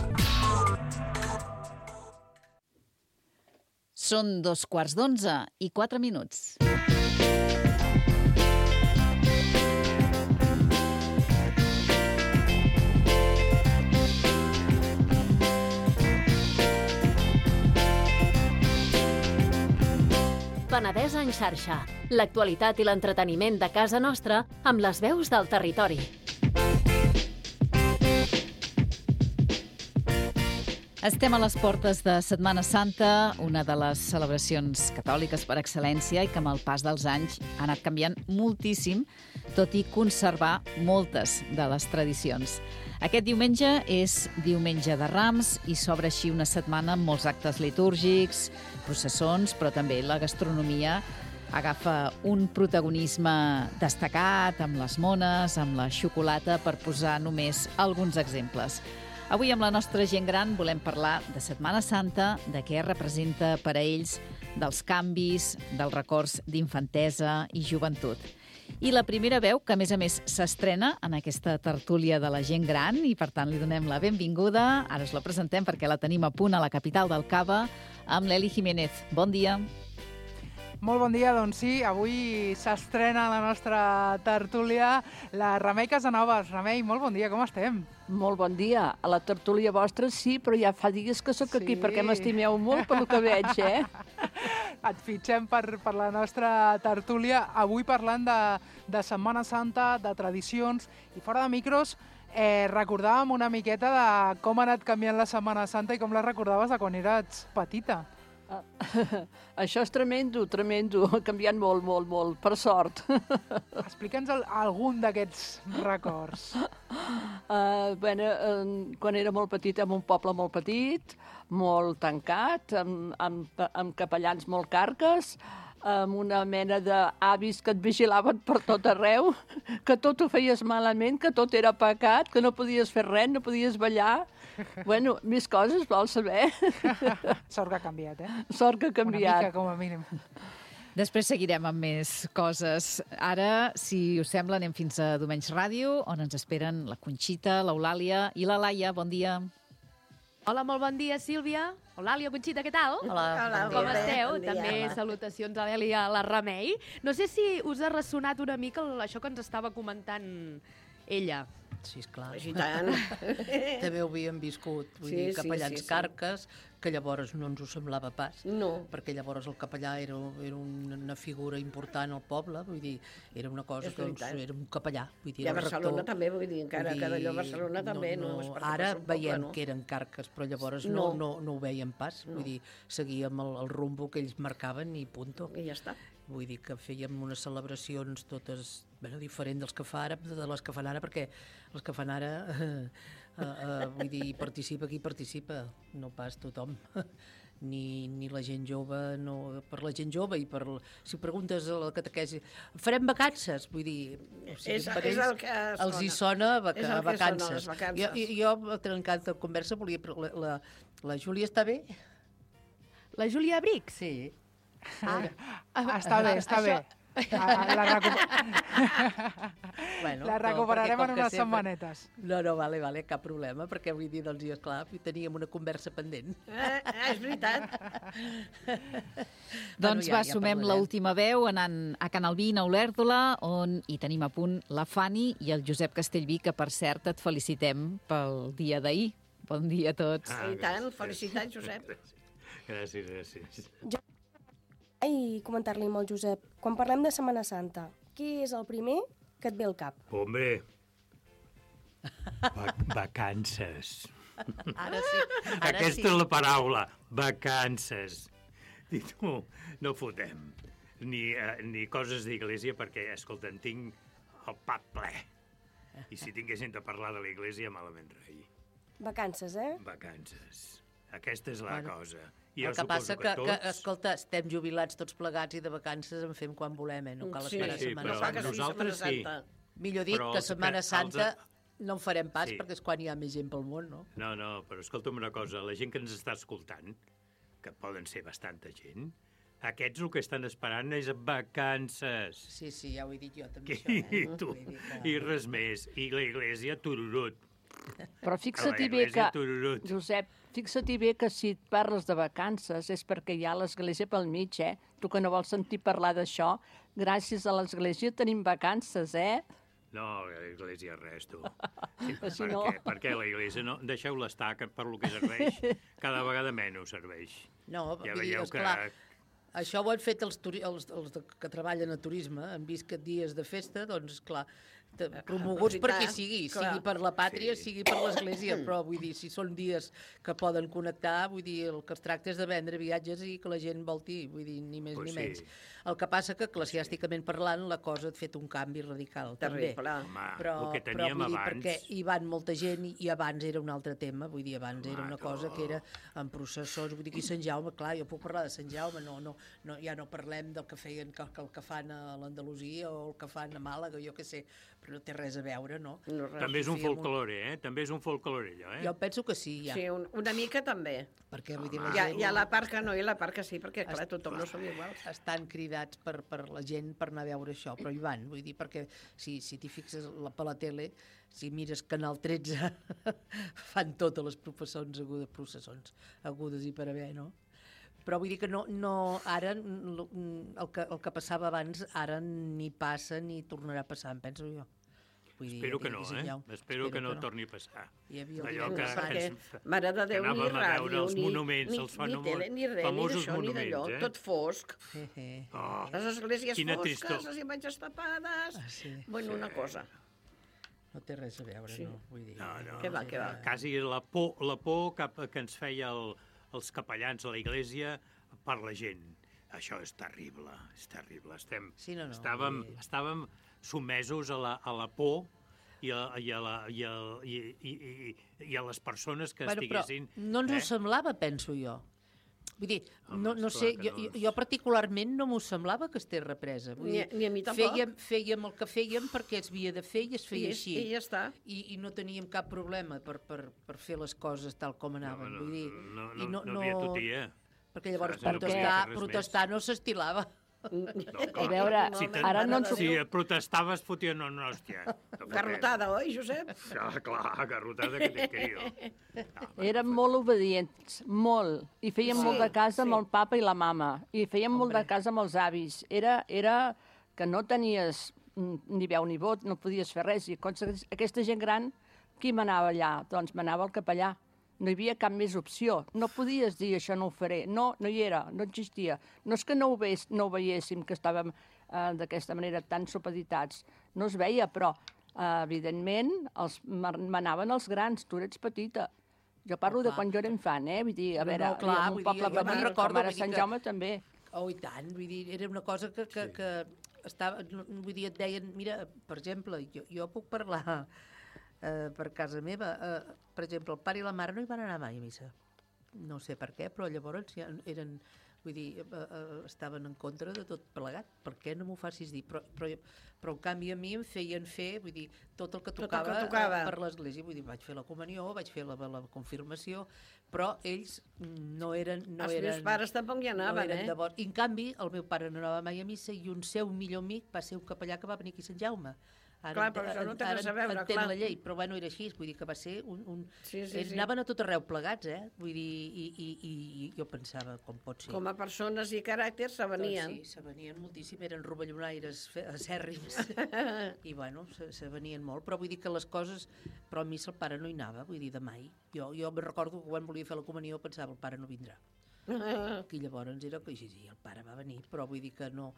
Són dos quarts d'onze i quatre minuts. Penedès en xarxa. L'actualitat i l'entreteniment de casa nostra amb les veus del territori. Estem a les portes de Setmana Santa, una de les celebracions catòliques per excel·lència i que amb el pas dels anys ha anat canviant moltíssim, tot i conservar moltes de les tradicions. Aquest diumenge és Diumenge de Rams i s'obre així una setmana amb molts actes litúrgics, processons, però també la gastronomia agafa un protagonisme destacat amb les mones, amb la xocolata, per posar només alguns exemples. Avui amb la nostra gent gran volem parlar de Setmana Santa, de què representa per a ells, dels canvis, dels records d'infantesa i joventut. I la primera veu, que a més a més s'estrena en aquesta tertúlia de la gent gran i per tant li donem la benvinguda. Ara us la presentem perquè la tenim a punt a la capital del Cava amb l'Eli Jiménez. Bon dia. Molt bon dia, doncs sí, avui s'estrena la nostra tertúlia la Remei Casanovas. Remei, molt bon dia, com estem? Molt bon dia. A la tertúlia vostra sí, però ja fa dies que sóc sí. aquí perquè m'estimeu molt pel que veig, eh? Et fitxem per, per la nostra tertúlia, avui parlant de, de Setmana Santa, de tradicions, i fora de micros eh, recordàvem una miqueta de com ha anat canviant la Setmana Santa i com la recordaves de quan eres petita. Uh, això és tremendo, tremendo. Ha canviat molt, molt, molt, per sort. Explica'ns el, algun d'aquests records. Uh, bueno, uh, quan era molt petita, en un poble molt petit, molt tancat, amb, amb, amb capellans molt carques, amb una mena d'avis que et vigilaven per tot arreu, que tot ho feies malament, que tot era pecat, que no podies fer res, no podies ballar. Bueno, més coses, vols saber? Sort que ha canviat, eh? Sort que ha canviat. Una mica, com a mínim. Després seguirem amb més coses. Ara, si us sembla, anem fins a Domenys Ràdio, on ens esperen la Conxita, l'Eulàlia i la Laia. Bon dia. Hola, molt bon dia, Sílvia. Eulàlia, Conxita, què tal? Hola, Hola bon com dia. esteu? Bon dia. També Hola. salutacions a l'Eli i a la Remei. No sé si us ha ressonat una mica el- això que ens estava comentant ella. Sí, esclar. I tant. També ho havíem viscut, vull Sí, dir, sí, capellans sí, sí. carques, que llavors no ens ho semblava pas. No. Perquè llavors el capellà era, era una figura important al poble, vull dir, era una cosa És que doncs, veritat. era un capellà. Vull dir, I a era el Barcelona rector. també, vull dir, encara Vull que d'allò a dir, Barcelona també no es parla Ara pas un poble, veiem no? que eren carques, però llavors no, No. no, no ho veiem pas. No. Vull dir, seguíem el, el rumbo que ells marcaven i punto. I ja està. Vull dir que fèiem unes celebracions totes bueno, diferents dels que fa ara, de les que fan ara, perquè els que fan ara, eh, eh, eh, vull dir, participa qui participa, no pas tothom. Ni, ni la gent jove, no, per la gent jove i per, si preguntes a la catequesi, farem vacances, vull dir, o sigui, És- per és ells el que els hi sona. sona vaca, És el que sona, vacances. les vacances. Jo, jo, jo trencat de conversa, volia... La, la, la Júlia està bé? La Júlia Bric? Sí. Ah, està bé, està bé. Ah, la, recu... Bueno, la no, recuperarem perquè com en que unes sempre- setmanetes. No, no, vale, vale, cap problema, perquè vull dir, doncs, jo, esclar, teníem una conversa pendent. Eh, eh, és veritat. Doncs ja- va, ja sumem parlarem. l'última veu anant a Can Albí, a Olèrdola, on hi tenim a punt la Fanny i el Josep Castellví, que per cert et felicitem pel dia d'ahir. Bon dia a tots. I tant, felicitats, Josep. Gràcies, gràcies. I comentar-li amb el Josep, quan parlem de Setmana Santa, què és el primer que et ve al cap? Hombre, va vacances. Ara sí, ara Aquesta sí. és la paraula, vacances. I tu, no fotem ni, uh, ni coses d'iglésia perquè, escolta, en tinc el pap ple. I si tinguéssim de parlar de l'església, malament rei. Vacances, eh? Vacances. Aquesta és la Bueno, cosa. I el que passa que, que, que, escolta, estem jubilats tots plegats i de vacances en fem quan volem, eh? No cal Sí, esperar sí, Setmana però Santa. nosaltres sí. Millor dit, Però que els que- Setmana els- Santa no en farem pas Sí. perquè és quan hi ha més gent pel món, no? No, no, però escolta'm una cosa, la gent que ens està escoltant, que poden ser bastanta gent, aquests el que estan esperant és vacances. Sí, sí, ja ho he dit jo també, I, això, eh? tu, Vull dir que- i res més. I la iglesia, tururut. Però A fixa-t'hi la bé que, iglesia, tururut. Josep, fixa-t'hi bé que si et parles de vacances és perquè hi ha l'església pel mig, eh? Tu que no vols sentir parlar d'això, gràcies a l'església tenim vacances, eh? No, l'església res, tu. Sí, Però si per no- què? Per què la iglesia? No, deixeu-la estar, que per lo que serveix, cada vegada menys serveix. No, ja vull dir, veieu esclar, que... això ho han fet els, turi els, els de, que treballen a turisme, han vist que dies de festa, doncs, clar, te- promoguts per qui sigui, clar. sigui per la pàtria, Sí. sigui per l'església, però vull dir, si són dies que poden connectar, vull dir, el que es tracta és de vendre viatges i que la gent volti, vull dir, ni més Pues ni sí. menys. El que passa que, eclesiàsticament parlant, la cosa ha fet un canvi radical, també. Terrible. Home, Però, el que però teníem vull dir, abans... perquè hi van molta gent i, i abans era un altre tema, vull dir, abans era una Home, cosa tu. que era en processons, vull dir, aquí Sant Jaume, clar, jo puc parlar de Sant Jaume, no, no, no, ja no parlem del que feien, que, que el que fan a l'Andalusia o el que fan a Màlaga, jo què sé, però no té res a veure, no? No, res. També és un Sí, amb un- folclore, eh? També és un folclore, allò, eh? Jo penso que sí, ja. Sí, un, una mica també. Perquè, vull dir, Hi la ha, gent hi ha la part que no i la part que sí, perquè, clar, tothom no som iguals. estan cridats per, per la gent per anar a veure això, però hi van, vull dir, perquè si, si t'hi fixes la, per la tele, si mires Canal tretze, fan totes les processons agudes, processons agudes i per haver, no? Però vull dir que no, no ara el que, el que passava abans ara ni passa ni tornarà a passar, em penso jo. Vull Espero dir, que no, eh? Espero, Espero que, que no, no torni a passar. Allò que, que, ens, Mare de Déu, que ni anàvem a veure ràdio, els ni, monuments, ni, els ni tele, ni res, ni d'això, ni d'allò, eh? tot fosc. Oh, les esglésies fosques, tristor. les imatges tapades... Ah, sí. Bueno, sí. Una cosa... No té res a veure, sí. no? Vull dir... No, no. Què va, què va? Quasi la por, la por cap, que ens feia el, els capellans a la iglesia per la gent. Això és terrible, és terrible. Estem, sí, no, no, estàvem, i... estàvem sotmesos a la, a la por i a, i, a la, i, a, i, i, i, i a les persones que bueno, estiguessin... Però no ens eh? ho semblava, penso jo. Vull dir, Home, no, no sé, jo, no... jo particularment no m'ho semblava que estés represa. Vull ni, dir, ni a mi tampoc. Fèiem, fèiem el que fèiem perquè es havia de fer i es feia I, així. I ja està. I, I no teníem cap problema per, per, per fer les coses tal com anaven. No, no, vull dir, no, i no, no, no havia totia. Perquè llavors Saps, protestar, no protestar no s'estilava. No, a veure, si ara no ens... Si protestaves, fotien no, no, hòstia. No garrotada, oi, Josep? Ah, clar, garrotada que t'he querido. No, Érem molt obedients, molt. I fèiem sí, molt de casa sí. amb el papa i la mama. I fèiem Hombre. molt de casa amb els avis. Era, era que no tenies ni veu ni vot, no podies fer res. I aquesta gent gran, qui manava allà? Doncs manava el capellà. No hi havia cap més opció. No podies dir això no ho faré. No, no hi era, no existia. No és que no ho, veis, no ho veiéssim, que estàvem eh, d'aquesta manera tan supeditats. No es veia, però eh, evidentment els manaven els grans. Tu eres petita. Jo parlo oh, de quan jo era infant, eh? Vull dir, a no, veure, no, clar, un poble dir, petit, recordo, com ara Sant que... Jaume també. Oh, i tant, vull dir, era una cosa que, que, sí. que estava, vull dir, et deien, mira, per exemple, jo, jo puc parlar... Uh, per casa meva, uh, per exemple, el pare i la mare no hi van anar mai a missa. No sé per què, però llavors ja eren, vull dir, uh, uh, estaven en contra de tot plegat. Per què no m'ho facis dir? Però, però, però en canvi a mi em feien fer, vull dir, tot el que tocava, tot el que tocava. Uh, per l'església. Vull dir, vaig fer la comunió, vaig fer la, la confirmació, però ells no eren... No Els eren, meus pares tampoc hi anaven, no eh? Devot. I en canvi, el meu pare no anava mai a missa i un seu millor amic va ser un capellà que va venir aquí a Sant Jaume. Ara, clar, però això no té res a veure, entén clar. la llei, però bueno, era així, vull dir que va ser un... un... Sí, sí, Ells sí. anaven a tot arreu plegats, eh? Vull dir, i, i, i, i jo pensava, com pot ser. Com a persones i caràcters se venien. Doncs sí, se venien moltíssim, eren rovellonaires acèrrims. I bueno, se, se venien molt, però vull dir que les coses... Però a mi el pare no hi anava, vull dir, de mai. Jo, jo me recordo que quan volia fer la comunió pensava, el pare no vindrà. I llavors era que sí, sí, el pare va venir, però vull dir que no...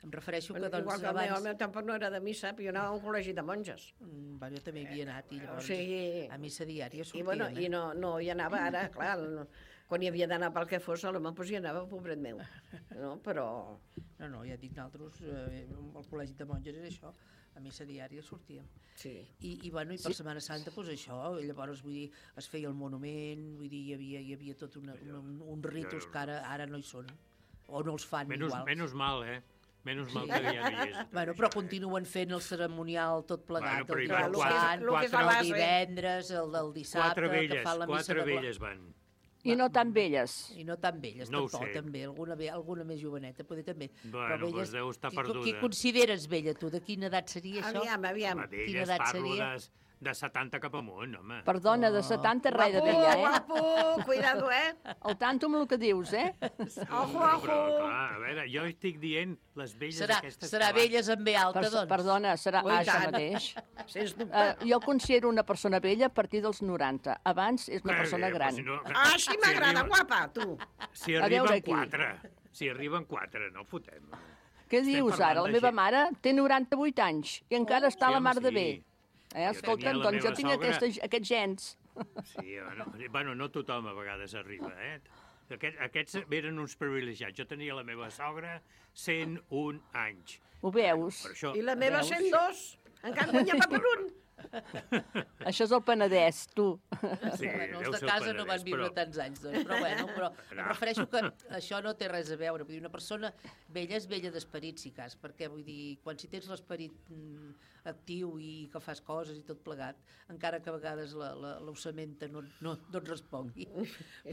Em refereixo que, doncs, igual que abans... el meu, el meu tampoc no era de missa, però jo anava a un col·legi de monges. Mm, bueno, jo també hi havia anat, i llavors o sigui, a missa diària sortíem. I, bueno, eh? i no, no hi anava ara, clar, no, quan hi havia d'anar pel que fos, l'home pues, hi anava, pobret meu. No, però... No, no, ja dic, nosaltres, eh, al col·legi de monges era això, a missa diària sortíem. Sí. I, i, bueno, i per sí. Setmana Santa, doncs això, i llavors, vull dir, es feia el monument, vull dir, hi havia, hi havia tot una, una, uns ritus que ara, ara no hi són, o no els fan menos, iguals. Menys mal, eh? Menys mal que ja no hi és. Bueno, però continuen fent el ceremonial tot plegat, bueno, el van, Sant, quatre, el divendres, el del dissabte, quatre velles, que fan la missa quatre de... velles van. I no tan velles. I no tan velles, no tampoc, també. Alguna, alguna més joveneta, poder també. Bueno, però velles, doncs deu estar qui, perduda. Qui consideres vella, tu? De quina edat seria això? Aviam, aviam. Home, d'elles parlo de, de setanta cap amunt, home. Perdona, de setanta res de vella, eh? Guapo, guapo, cuidado, eh? Al tanto amb el que dius, eh? Sí, ojo, ojo. Però, clar, a veure, jo estic dient les velles serà, aquestes... Serà velles amb B alta, per, doncs. Perdona, serà Ui, això tant. mateix. Sens dubte. Uh, jo considero una persona vella a partir dels noranta. Abans és una Eh, persona eh, gran. Si no, Ah, així m'agrada, arriba- guapa, tu. Si A veure arriben aquí. quatre, si arriben quatre, no fotem. Què Estem dius parlant ara? La de meva gent. mare té noranta-vuit anys i encara està Sí, a la mar home, de bé. sí. Eh, Jo escolta'm, tenia la doncs jo meva tinc sogra- aquestes, aquests gens. Sí, bueno, bueno, no tothom a vegades arriba, eh? Aquest, aquests eren uns privilegiats. Jo tenia la meva sogra cent un anys. Ho veus? Per això, I la meva Veus? cent dos. Encara guanya pa per un. Això és el Penedès, tu. Sí, Bueno, deu els de ser el casa no van Penedès, viure però- tants anys, doncs, però bueno, però em No. refereixo que això no té res a veure. Vull dir, una persona vella és vella d'esperit, si cas, perquè vull dir, quan si tens l'esperit mm, actiu i que fas coses i tot plegat, encara que a vegades la, la, l'ossamenta no, no, no et respongui,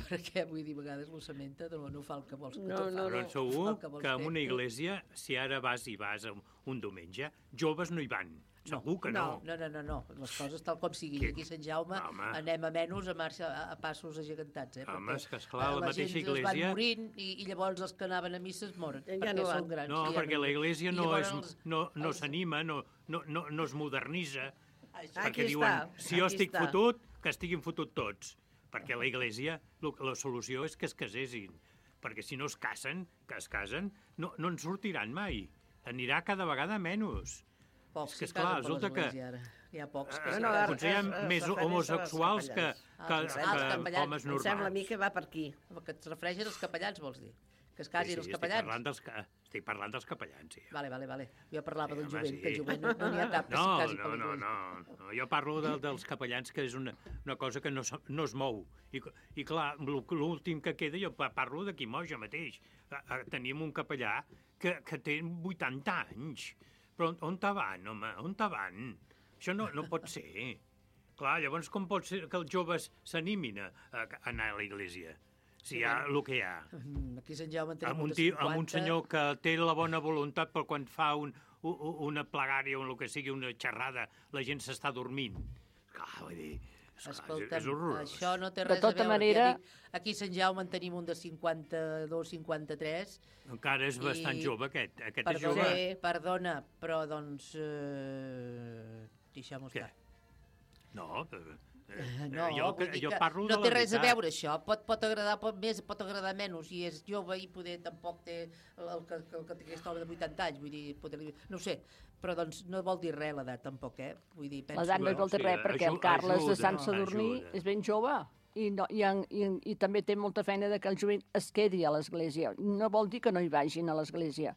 perquè vull dir, a vegades l'ossamenta no, no fa el que vols que No, tu no, fa, Però no segur fa el que vols en fer. una iglesia, si ara vas i vas un diumenge, joves no hi van. Segur que no. No, no, no, no. Les coses tal com siguin. Aquí a Sant Jaume anem a menys a marxa a passos agigantats. Eh? Home, és que esclar, la mateixa gent església... es van morint i, i llavors els que anaven a missa es moren, ja perquè no són grans. No, ja perquè la església no els... no, no s'anima, no, no, no, no es modernitza, Aquí perquè està, diuen, si jo aquí estic està. fotut, que estiguin fotut tots. Perquè la església, la solució és que es casessin. Perquè si no es casen, que es casen, no, no en sortiran mai. Anirà cada vegada menys. Pocs és que, que esclar, casen per resulta que... l'església, ara. Hi ha pocs que... Eh, no, potser hi ha més homosexuals que, que, que homes normals. Em sembla a mi que va per aquí. Que et refereixen als capellans, vols dir? Que es casin sí, sí, els estic capellans? Parlant dels, estic parlant dels capellans, sí. Vale, vale, vale. Jo parlava Sí, del home, jovent, sí. que el jovent no n'hi ha cap que No, s'hi casi no, per no, l'església. no, no. Jo parlo de, dels capellans, que és una, una cosa que no, es- no es mou. I, i clar, l'últim que queda, jo pa- parlo d'aquí Moja mateix. Eh, eh, Tenim un capellà que, que té vuitanta anys. Però on, on te van, home? On te van? Això no, no pot ser. Clar, llavors com pot ser que els joves s'animin a, a anar a la iglesia? Si hi ha el que hi ha. Aquí a Sant Jaume en tenim Amb un, un de tio, amb un cinquanta. senyor que té la bona voluntat, però quan fa un, un, una plegària o el que sigui, una xerrada, la gent s'està dormint. Clar, vull dir, esclar, Escolta'm, és horrorós. això no té De res a tota veure. manera- Ja dic, aquí a Sant Jaume en tenim un de cinquanta-dos, cinquanta-tres. Encara és bastant i- jove, aquest. Aquest és Perdona, jove. perdona, però doncs... Eh, Deixem-ho estar. No, eh, eh, No, jo, vull dir jo que parlo no de té la res a veritat. veure això. Pot, pot agradar pot més, pot agradar menys, i és jove i poder tampoc té el, el, que, el que té aquest home de vuitanta anys, vull dir, poder, no ho sé, però doncs no vol dir res l'edat tampoc, eh? Vull dir, penso... L'edat no vol dir res, perquè el Carles de Sant Sadurní és ben jove i, no, i, en- i, i també té molta feina de que el jovent es quedi a l'església. No vol dir que no hi vagin a l'església,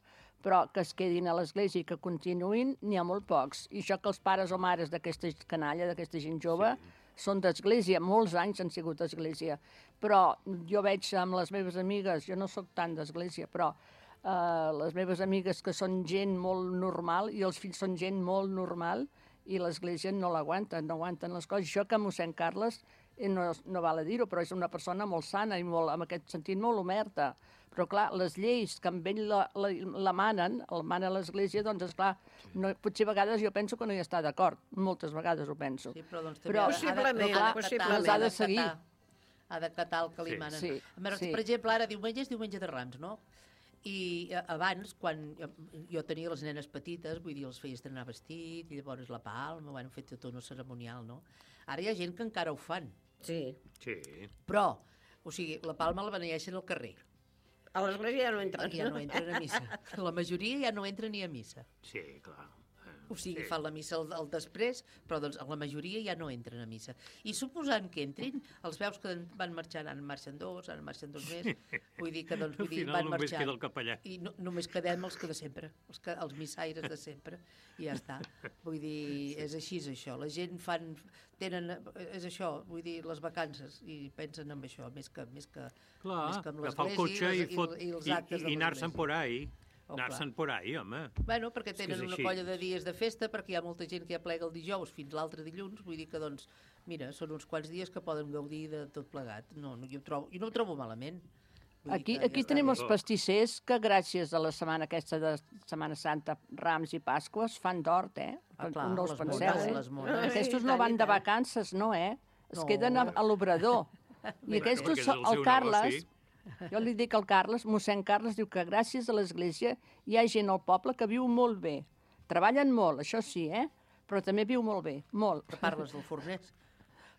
però que es quedin a l'església i que continuïn, n'hi ha molt pocs. I això que els pares o mares d'aquesta canalla, d'aquesta gent jove, sí. són d'església, molts anys han sigut d'església. Però jo veig amb les meves amigues, jo no sóc tant d'església, però eh, les meves amigues que són gent molt normal i els fills són gent molt normal i l'església no l'aguanten, no aguanten les coses. Això que mossèn Carles, eh, no, no val a dir-ho, però és una persona molt sana i molt, en aquest sentit molt oberta. Però, clar, les lleis que amb ell la, la, la manen, el mana l'església, doncs, esclar, no, potser a vegades jo penso que no hi està d'acord. Moltes vegades ho penso. Sí, però doncs també però, ha de- Possiblement, ha de- possiblement. les ha de seguir. Ha d'acatar el que li Sí. manen. Sí, Per, sí. per exemple, ara diumenge és diumenge de Rams, no? I eh, abans, quan jo, jo tenia les nenes petites, vull dir, els feia estrenar vestit, i llavors la palma, bueno, fet tot un ceremonial, no? Ara hi ha gent que encara ho fan. Sí. Sí. Però, o sigui, la palma la beneeixen al carrer. A l'església ja no entren. Ja no entren a missa. La majoria ja no entra ni a missa. Sí, clar. O sigui, Sí. fan la missa al, al després, però doncs la majoria ja no entren a missa. I suposant que entrin, els veus que van marxant, en marxen dos, en marxen dos més, vull dir que doncs, vull Al dir, final van només marxant. queda el capellà. I no, només quedem els que de sempre, els, que, els missaires de sempre, i ja està. Vull dir, és així és això. La gent fan, tenen, és això, vull dir, les vacances, i pensen en això, més que, més que, Clar, més que amb agafar el l'església cotxe i, les- fot, i, els i, actes i, de i anar-se'n l'església. por ahí. Oh, Anar-se'n por ahí, home. Bueno, perquè És que tenen és una així. colla de dies de festa, perquè hi ha molta gent que ja plega el dijous fins l'altre dilluns, vull dir que, doncs, mira, són uns quants dies que poden gaudir de tot plegat. No, no, jo, ho trobo, jo no ho trobo malament. Vull dir Aquí, que aquí ja està tenim bé. els pastissers que gràcies a la setmana aquesta de Setmana Santa, Rams i Pasques, fan d'hort, eh? Ah, clar, no us les penseu, mones, eh? les mones. Aquestos Ai, no tant, van i de tant. vacances, no, eh? Es No. queden a, a l'obrador. I Bueno, aquests, perquè és el el, seu Carles, negoci. jo li dic al Carles, mossèn Carles, diu que gràcies a l'església hi ha gent al poble que viu molt bé. Treballen molt, això sí, eh? Però també viu molt bé, molt. Que parles del forners.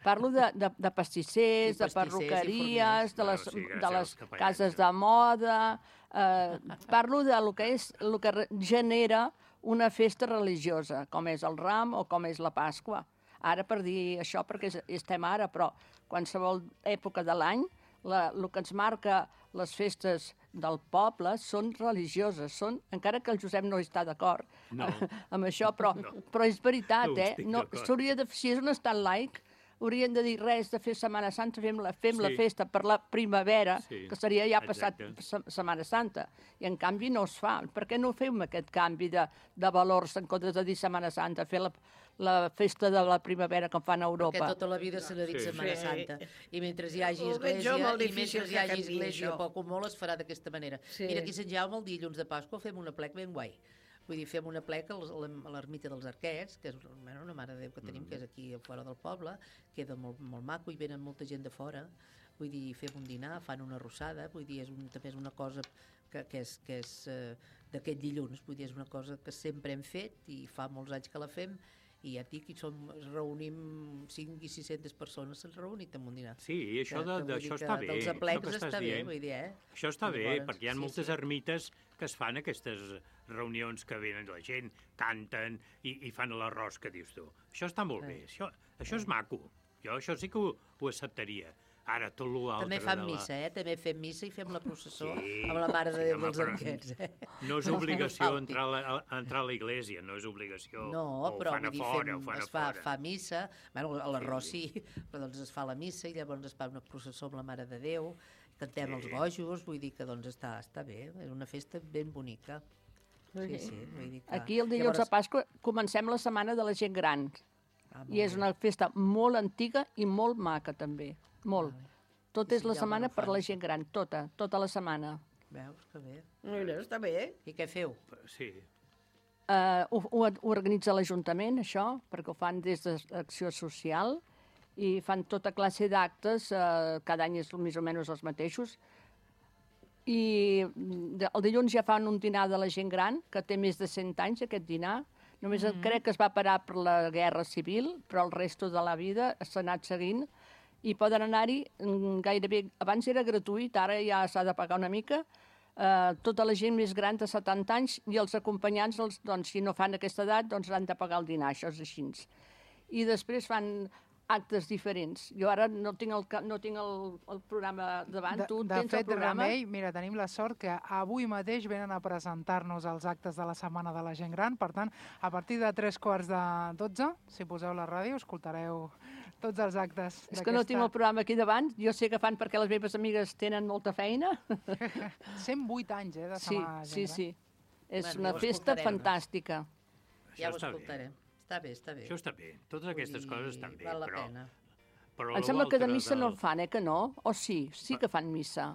Parlo de, de, de pastissers, Sí, de pastissers i perruqueries, de les, Bueno, sí, gràcies de les als capellans, cases de moda... Eh, parlo de lo que, és, lo que re- genera una festa religiosa, com és el Ram o com és la Pasqua. Ara per dir això, perquè és- estem ara, però qualsevol època de l'any, la, el que ens marca les festes del poble són religioses, són, encara que el Josep no hi està d'acord No. amb això, però, no. però és veritat, No eh? estic No, d'acord. s'hauria de, si és un estat laic, haurien de dir res de fer Setmana Santa, fem la, fem la Sí. festa per la primavera, Sí, que seria ja passat exacte. Se- Setmana Santa. I en canvi no es fa. Per què no fem aquest canvi de, de valors en comptes de dir Setmana Santa, fer la, la festa de la primavera com fan a Europa? Perquè tota la vida se n'ha dit Sí. Setmana Sí. Santa. I mentre hi hagi Ho veig església, jo molt i difícil mentre hi que hagi canviï església, això. poc o molt es farà d'aquesta manera. Sí. Mira, aquí a Sant Jaume, el dilluns de Pasqua, fem una plec ben guai. Vull dir, fem una pleca a l'ermita dels Arquets, que és bueno, una mare de Déu que tenim, mm. que és aquí a fora del poble, queda molt, molt maco i venen molta gent de fora. Vull dir, fem un dinar, fan una arrossada, vull dir, és un, també és una cosa que, que és, que és uh, d'aquest dilluns, vull dir, és una cosa que sempre hem fet i fa molts anys que la fem, i ja et dic, i som, es reunim cinc i sis-centes persones, s'han reunit en un dinar. Sí, i això, de, de, això està bé. Dels aplecs està bé, vull dir, eh? Això està bé, Llavors, perquè hi ha sí, moltes sí. ermites que es fan aquestes reunions que venen la gent, canten i, i fan l'arròs que dius tu. Això està molt bé, això, això és maco. Jo això sí que ho, ho acceptaria. Ara, tot l'altre... També fan la... missa, eh? També fem missa i fem la processó sí, amb la Mare de Déu sí, dels home, Arquets, eh? No és obligació entrar a, la, a entrar a l'església, no és obligació. No, o però fan a vull dir, fora, fem, o fan es a fa, fora. fa missa, bueno, a l'arròs sí, però doncs es fa la missa i llavors es fa una processó amb la Mare de Déu, cantem sí. els bojos, vull dir que doncs està, està bé, és una festa ben bonica. Sí, sí, vull dir que... Aquí el dilluns llavors... de Pasqua comencem la setmana de la gent gran. Ah, I és una festa molt antiga i molt maca també, molt. Ah, Tot és la setmana per la gent gran, tota, tota la setmana. Veus, que bé. Mira, està bé. I què feu? Sí. Uh, ho, ho organitza l'Ajuntament, això, perquè ho fan des d'Acció Social, i fan tota classe d'actes, uh, cada any és més o menys els mateixos, i el dilluns ja fan un dinar de la gent gran, que té més de cent anys, aquest dinar. Només mm-hmm. crec que es va parar per la Guerra Civil, però el resto de la vida s'ha anat seguint, i poden anar-hi gairebé... Abans era gratuït, ara ja s'ha de pagar una mica. Eh, tota la gent més gran de setanta anys i els acompanyants, els, doncs, si no fan aquesta edat, doncs han de pagar el dinar, això és així. I després fan actes diferents. Jo ara no tinc el, no tinc el, el programa davant. De, tu de tens fet, el programa? Remei, mira, tenim la sort que avui mateix venen a presentar-nos els actes de la Setmana de la Gent Gran. Per tant, a partir de tres quarts de dotze, si poseu la ràdio, escoltareu tots els actes. És que no tinc el programa aquí davant. Jo sé que fan perquè les meves amigues tenen molta feina. cent vuit anys, eh, de sí, Setmana de la Gent sí, Gran. Sí, és bueno, una ja festa fantàstica. Ja ho escoltarem. Està bé, està bé. Això està bé. Totes aquestes dir, coses estan bé, val la però... pena. però em sembla que de missa del... no en fan, eh, que no? O sí? Sí que fan missa.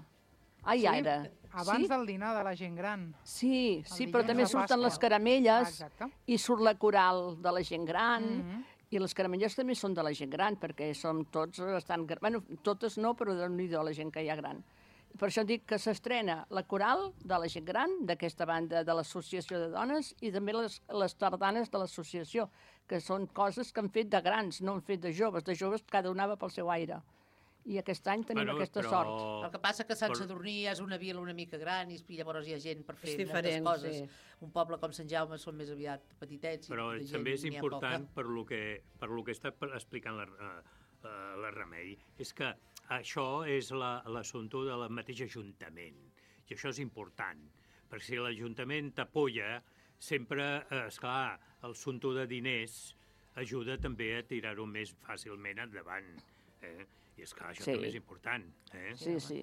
Ai, sí, ara. abans sí? del dinar de la gent gran. Sí, sí, però també de surten Pasqua. les caramelles ah, i surt la coral de la gent gran, Mm-hmm. i les caramelles també són de la gent gran, perquè som tots bastant... Bueno, totes no, però déu-n'hi-do la gent que hi ha gran. Per això dic que s'estrena la coral de la gent gran, d'aquesta banda de l'Associació de Dones, i també les, les tardanes de l'associació, que són coses que han fet de grans, no han fet de joves. De joves cada una va pel seu aire. I aquest any tenim bueno, aquesta però... sort. El que passa que Sant però... Sadurní és una vila una mica gran i llavors hi ha gent per fer diferent, moltes coses. Sí. Un poble com Sant Jaume són més aviat petitets. Però i també és important poca. per lo que, per lo que està explicant la, uh, la Remei, és que això és l'assumpte la, del mateix Ajuntament. I això és important, perquè si l'Ajuntament t'apoya, sempre, eh, esclar, el assumpte de diners ajuda també a tirar-ho més fàcilment endavant. Eh? I és clar, això sí. també és important. Eh? Sí, sí.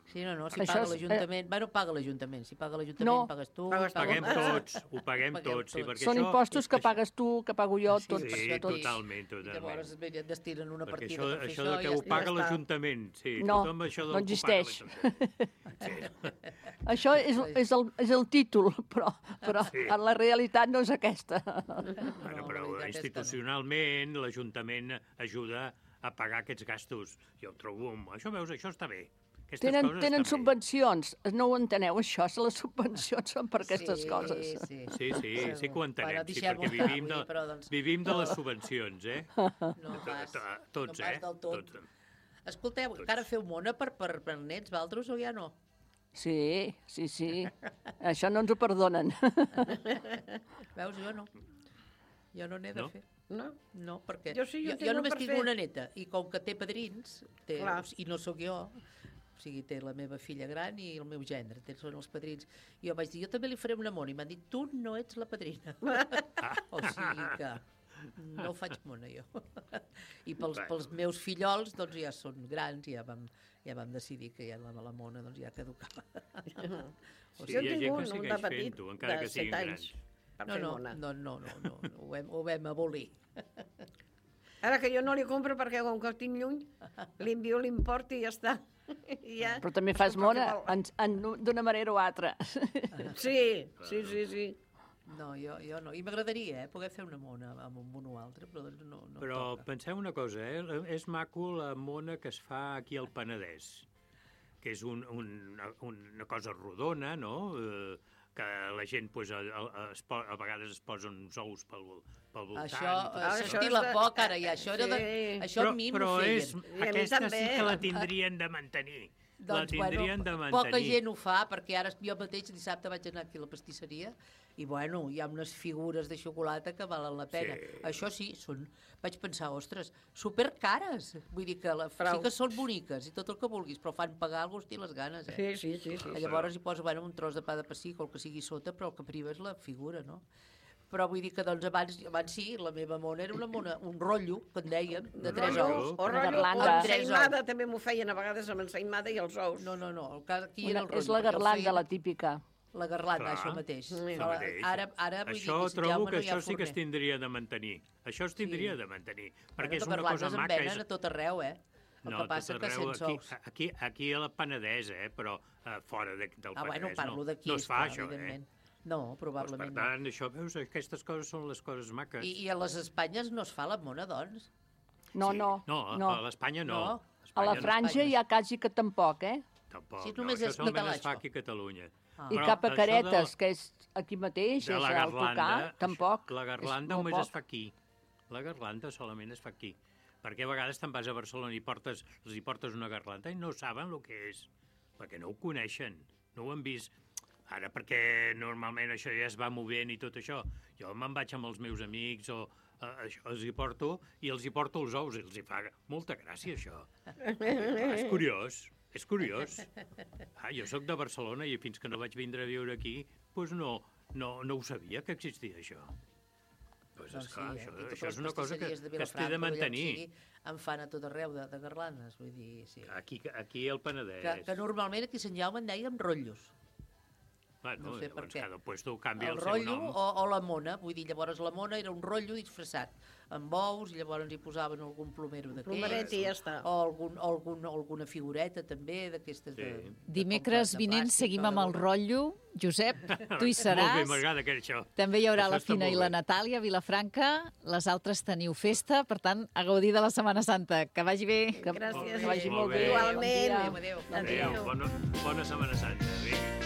Sí, no, no, si Això paga és- l'Ajuntament... Eh... Bueno, paga l'Ajuntament. Si paga l'Ajuntament, No. pagues tu. Ho paguem tots, ho paguem tots. Sí, perquè Són això, impostos que pagues tu, que pago jo, Sí, tots. sí, tots. totalment, I totalment. llavors bé, destinen una Perquè partida això, per fer això això, de que i ho ja paga està. l'Ajuntament, sí, No, tothom això no del existeix. que ho paga l'Ajuntament. Això és, és, el, és el títol, però, però Sí. en la realitat no és aquesta. Bueno, però institucionalment l'Ajuntament ajuda a pagar aquests gastos. Jo ho trobo... Això veus, això està bé. Aquestes Tenen, coses tenen estan bé. subvencions, no ho enteneu, això? Les subvencions són per aquestes Sí, coses. sí. Sí, sí, sí que ho entenem, Bueno, sí, deixem-ho perquè estar vivim de, avui, però, doncs- vivim de les subvencions, eh? No pas, Tots, no pas eh? del tot. Tots. Escolteu, encara feu mona per, per, per nets, Valdros, o ja no? Sí, sí, sí. Això no ens ho perdonen. Veus, jo no. Jo no n'he de No? fer. No? No, perquè Jo sí, jo jo, tinc jo un només per tinc fer. una neta, i com que té padrins, té, Clar. i no sóc jo, o sigui, té la meva filla gran i el meu gendre, té, són els padrins. I jo vaig dir, jo també li faré una mona, i m'han dit, tu no ets la padrina. O sigui que no faig mona, jo. I pels, pels meus fillols, doncs ja són grans, i ja vam, ja vam decidir que ja la, la mona doncs, ja caducava. O sigui, jo en tinc un, un de petit, fent-ho, encara de que siguin set anys, per No, fer no, mona. no, no, no, no, no, ho, vam, ho vam abolir. Ara que jo no li compro perquè com que el tinc lluny, li envio l'import i ja està. I ja... Però també fas mona en, en, d'una manera o altra. Sí, sí, sí, sí. No, jo, jo no. I m'agradaria, eh, poder fer una mona amb un o altre, però doncs no, no Però toca. penseu una cosa, eh? És maco la mona que es fa aquí al Penedès, que és un, un, una cosa rodona, no?, eh, que la gent pues, a, a, a, a vegades es posen uns ous pel, pel voltant. Això, i això estila de... poc, ara, ja. Això, era de... això però, a mi però m'ho feien. és, aquesta sí que la tindrien de mantenir. Doncs, la tindrien bueno, de mantenir. Poca gent ho fa, perquè ara jo mateix dissabte vaig anar aquí a la pastisseria i, bueno, hi ha unes figures de xocolata que valen la pena. Sí. Això sí, són, vaig pensar, ostres, supercares. Vull dir que la, Prou. sí que són boniques i tot el que vulguis, però fan pagar el gust i les ganes, eh? Sí, sí, sí. sí. Llavors hi posa, bueno, un tros de pa de pessic o el que sigui sota, però el que priva és la figura, no? Però vull dir que doncs abans, abans sí, la meva mona era una mona, un rotllo, que en dèiem, de tres ous. O rotllo, garlanda. o ensaïmada, també m'ho feien a vegades amb ensaïmada i els ous. No, no, no, el cas aquí Una, era el rotllo. és la perquè el garlanda, feien- la típica. La garlanda, Clar. això mateix. Això Però mateix. Ara, ara vull Això dir que trobo Jaume que no hi ha això sí que es forner. tindria de mantenir. Això es tindria Sí. de mantenir. Bueno, Perquè és de una garlandes cosa en maca. venen És... a tot arreu, eh? El No, que passa tot que arreu, sense aquí, ous. aquí, aquí a la Penedès, eh? Però uh, fora de, del Ah, bueno, Penedès parlo no, d'aquí, no es fa esclar, això, eh? evidentment. No, Doncs, probablement per tant, això, veus, aquestes coses són les coses maques. no. I, I a les Espanyes no es fa la mona, doncs? No, Sí. no. No, a- no. a l'Espanya no. No? A la Espanya no. Franja ja quasi que tampoc, eh? Tampoc, Sí, no, només això és solament es fa català, aquí a Catalunya. Ah. I Però cap a això Caretes, de- que és aquí mateix, de és la al tocar, garlanda, tampoc. La garlanda és molt només es poc. fa aquí. La garlanda solament es fa aquí. Perquè a vegades te'n vas a Barcelona i portes, els hi portes una garlanda i no saben el que és, perquè no ho coneixen, no ho han vist. Ara, perquè normalment això ja es va movent i tot això. Jo me'n vaig amb els meus amics o eh, això, els hi porto i els hi porto els ous i els hi fa molta gràcia, això. Ah, és curiós, és curiós. Ah, jo sóc de Barcelona i fins que no vaig vindre a viure aquí, doncs no, no, no ho sabia que existia això. Pues Doncs esclar, sí, això, aquí totes això és les una cosa que, pastisseries de que es té de Vilafranca, d'allà on mantenir. sigui, en fan a tot arreu de, de garlandes, vull dir, sí. Aquí, aquí al Penedès. Que, que normalment aquí a Sant Jaume en dèiem rotllos. Bueno, no sé per llavors què. cada puesto canvia El el, seu rotllo nom. o, o la mona, vull dir, llavors la mona era un rotllo disfressat, amb ous, i llavors hi posaven algun plomero d'aquells. Plomeret i ja està. O, algun, o algun, alguna figureta també, d'aquestes de, de... Dimecres de vinent plàstic seguim o de amb el goma. rotllo. Josep, tu hi Molt bé, seràs. m'agrada que això. També hi haurà Això la està Fina i molt la bé. Natàlia a Vilafranca. Les altres teniu festa, per tant, a gaudir de la Setmana Santa. Que vagi bé. Gràcies. Que vagi Molt molt bé. bé. Igualment. Adéu, adéu. Adéu, bona, bona Setmana Santa. Vinga.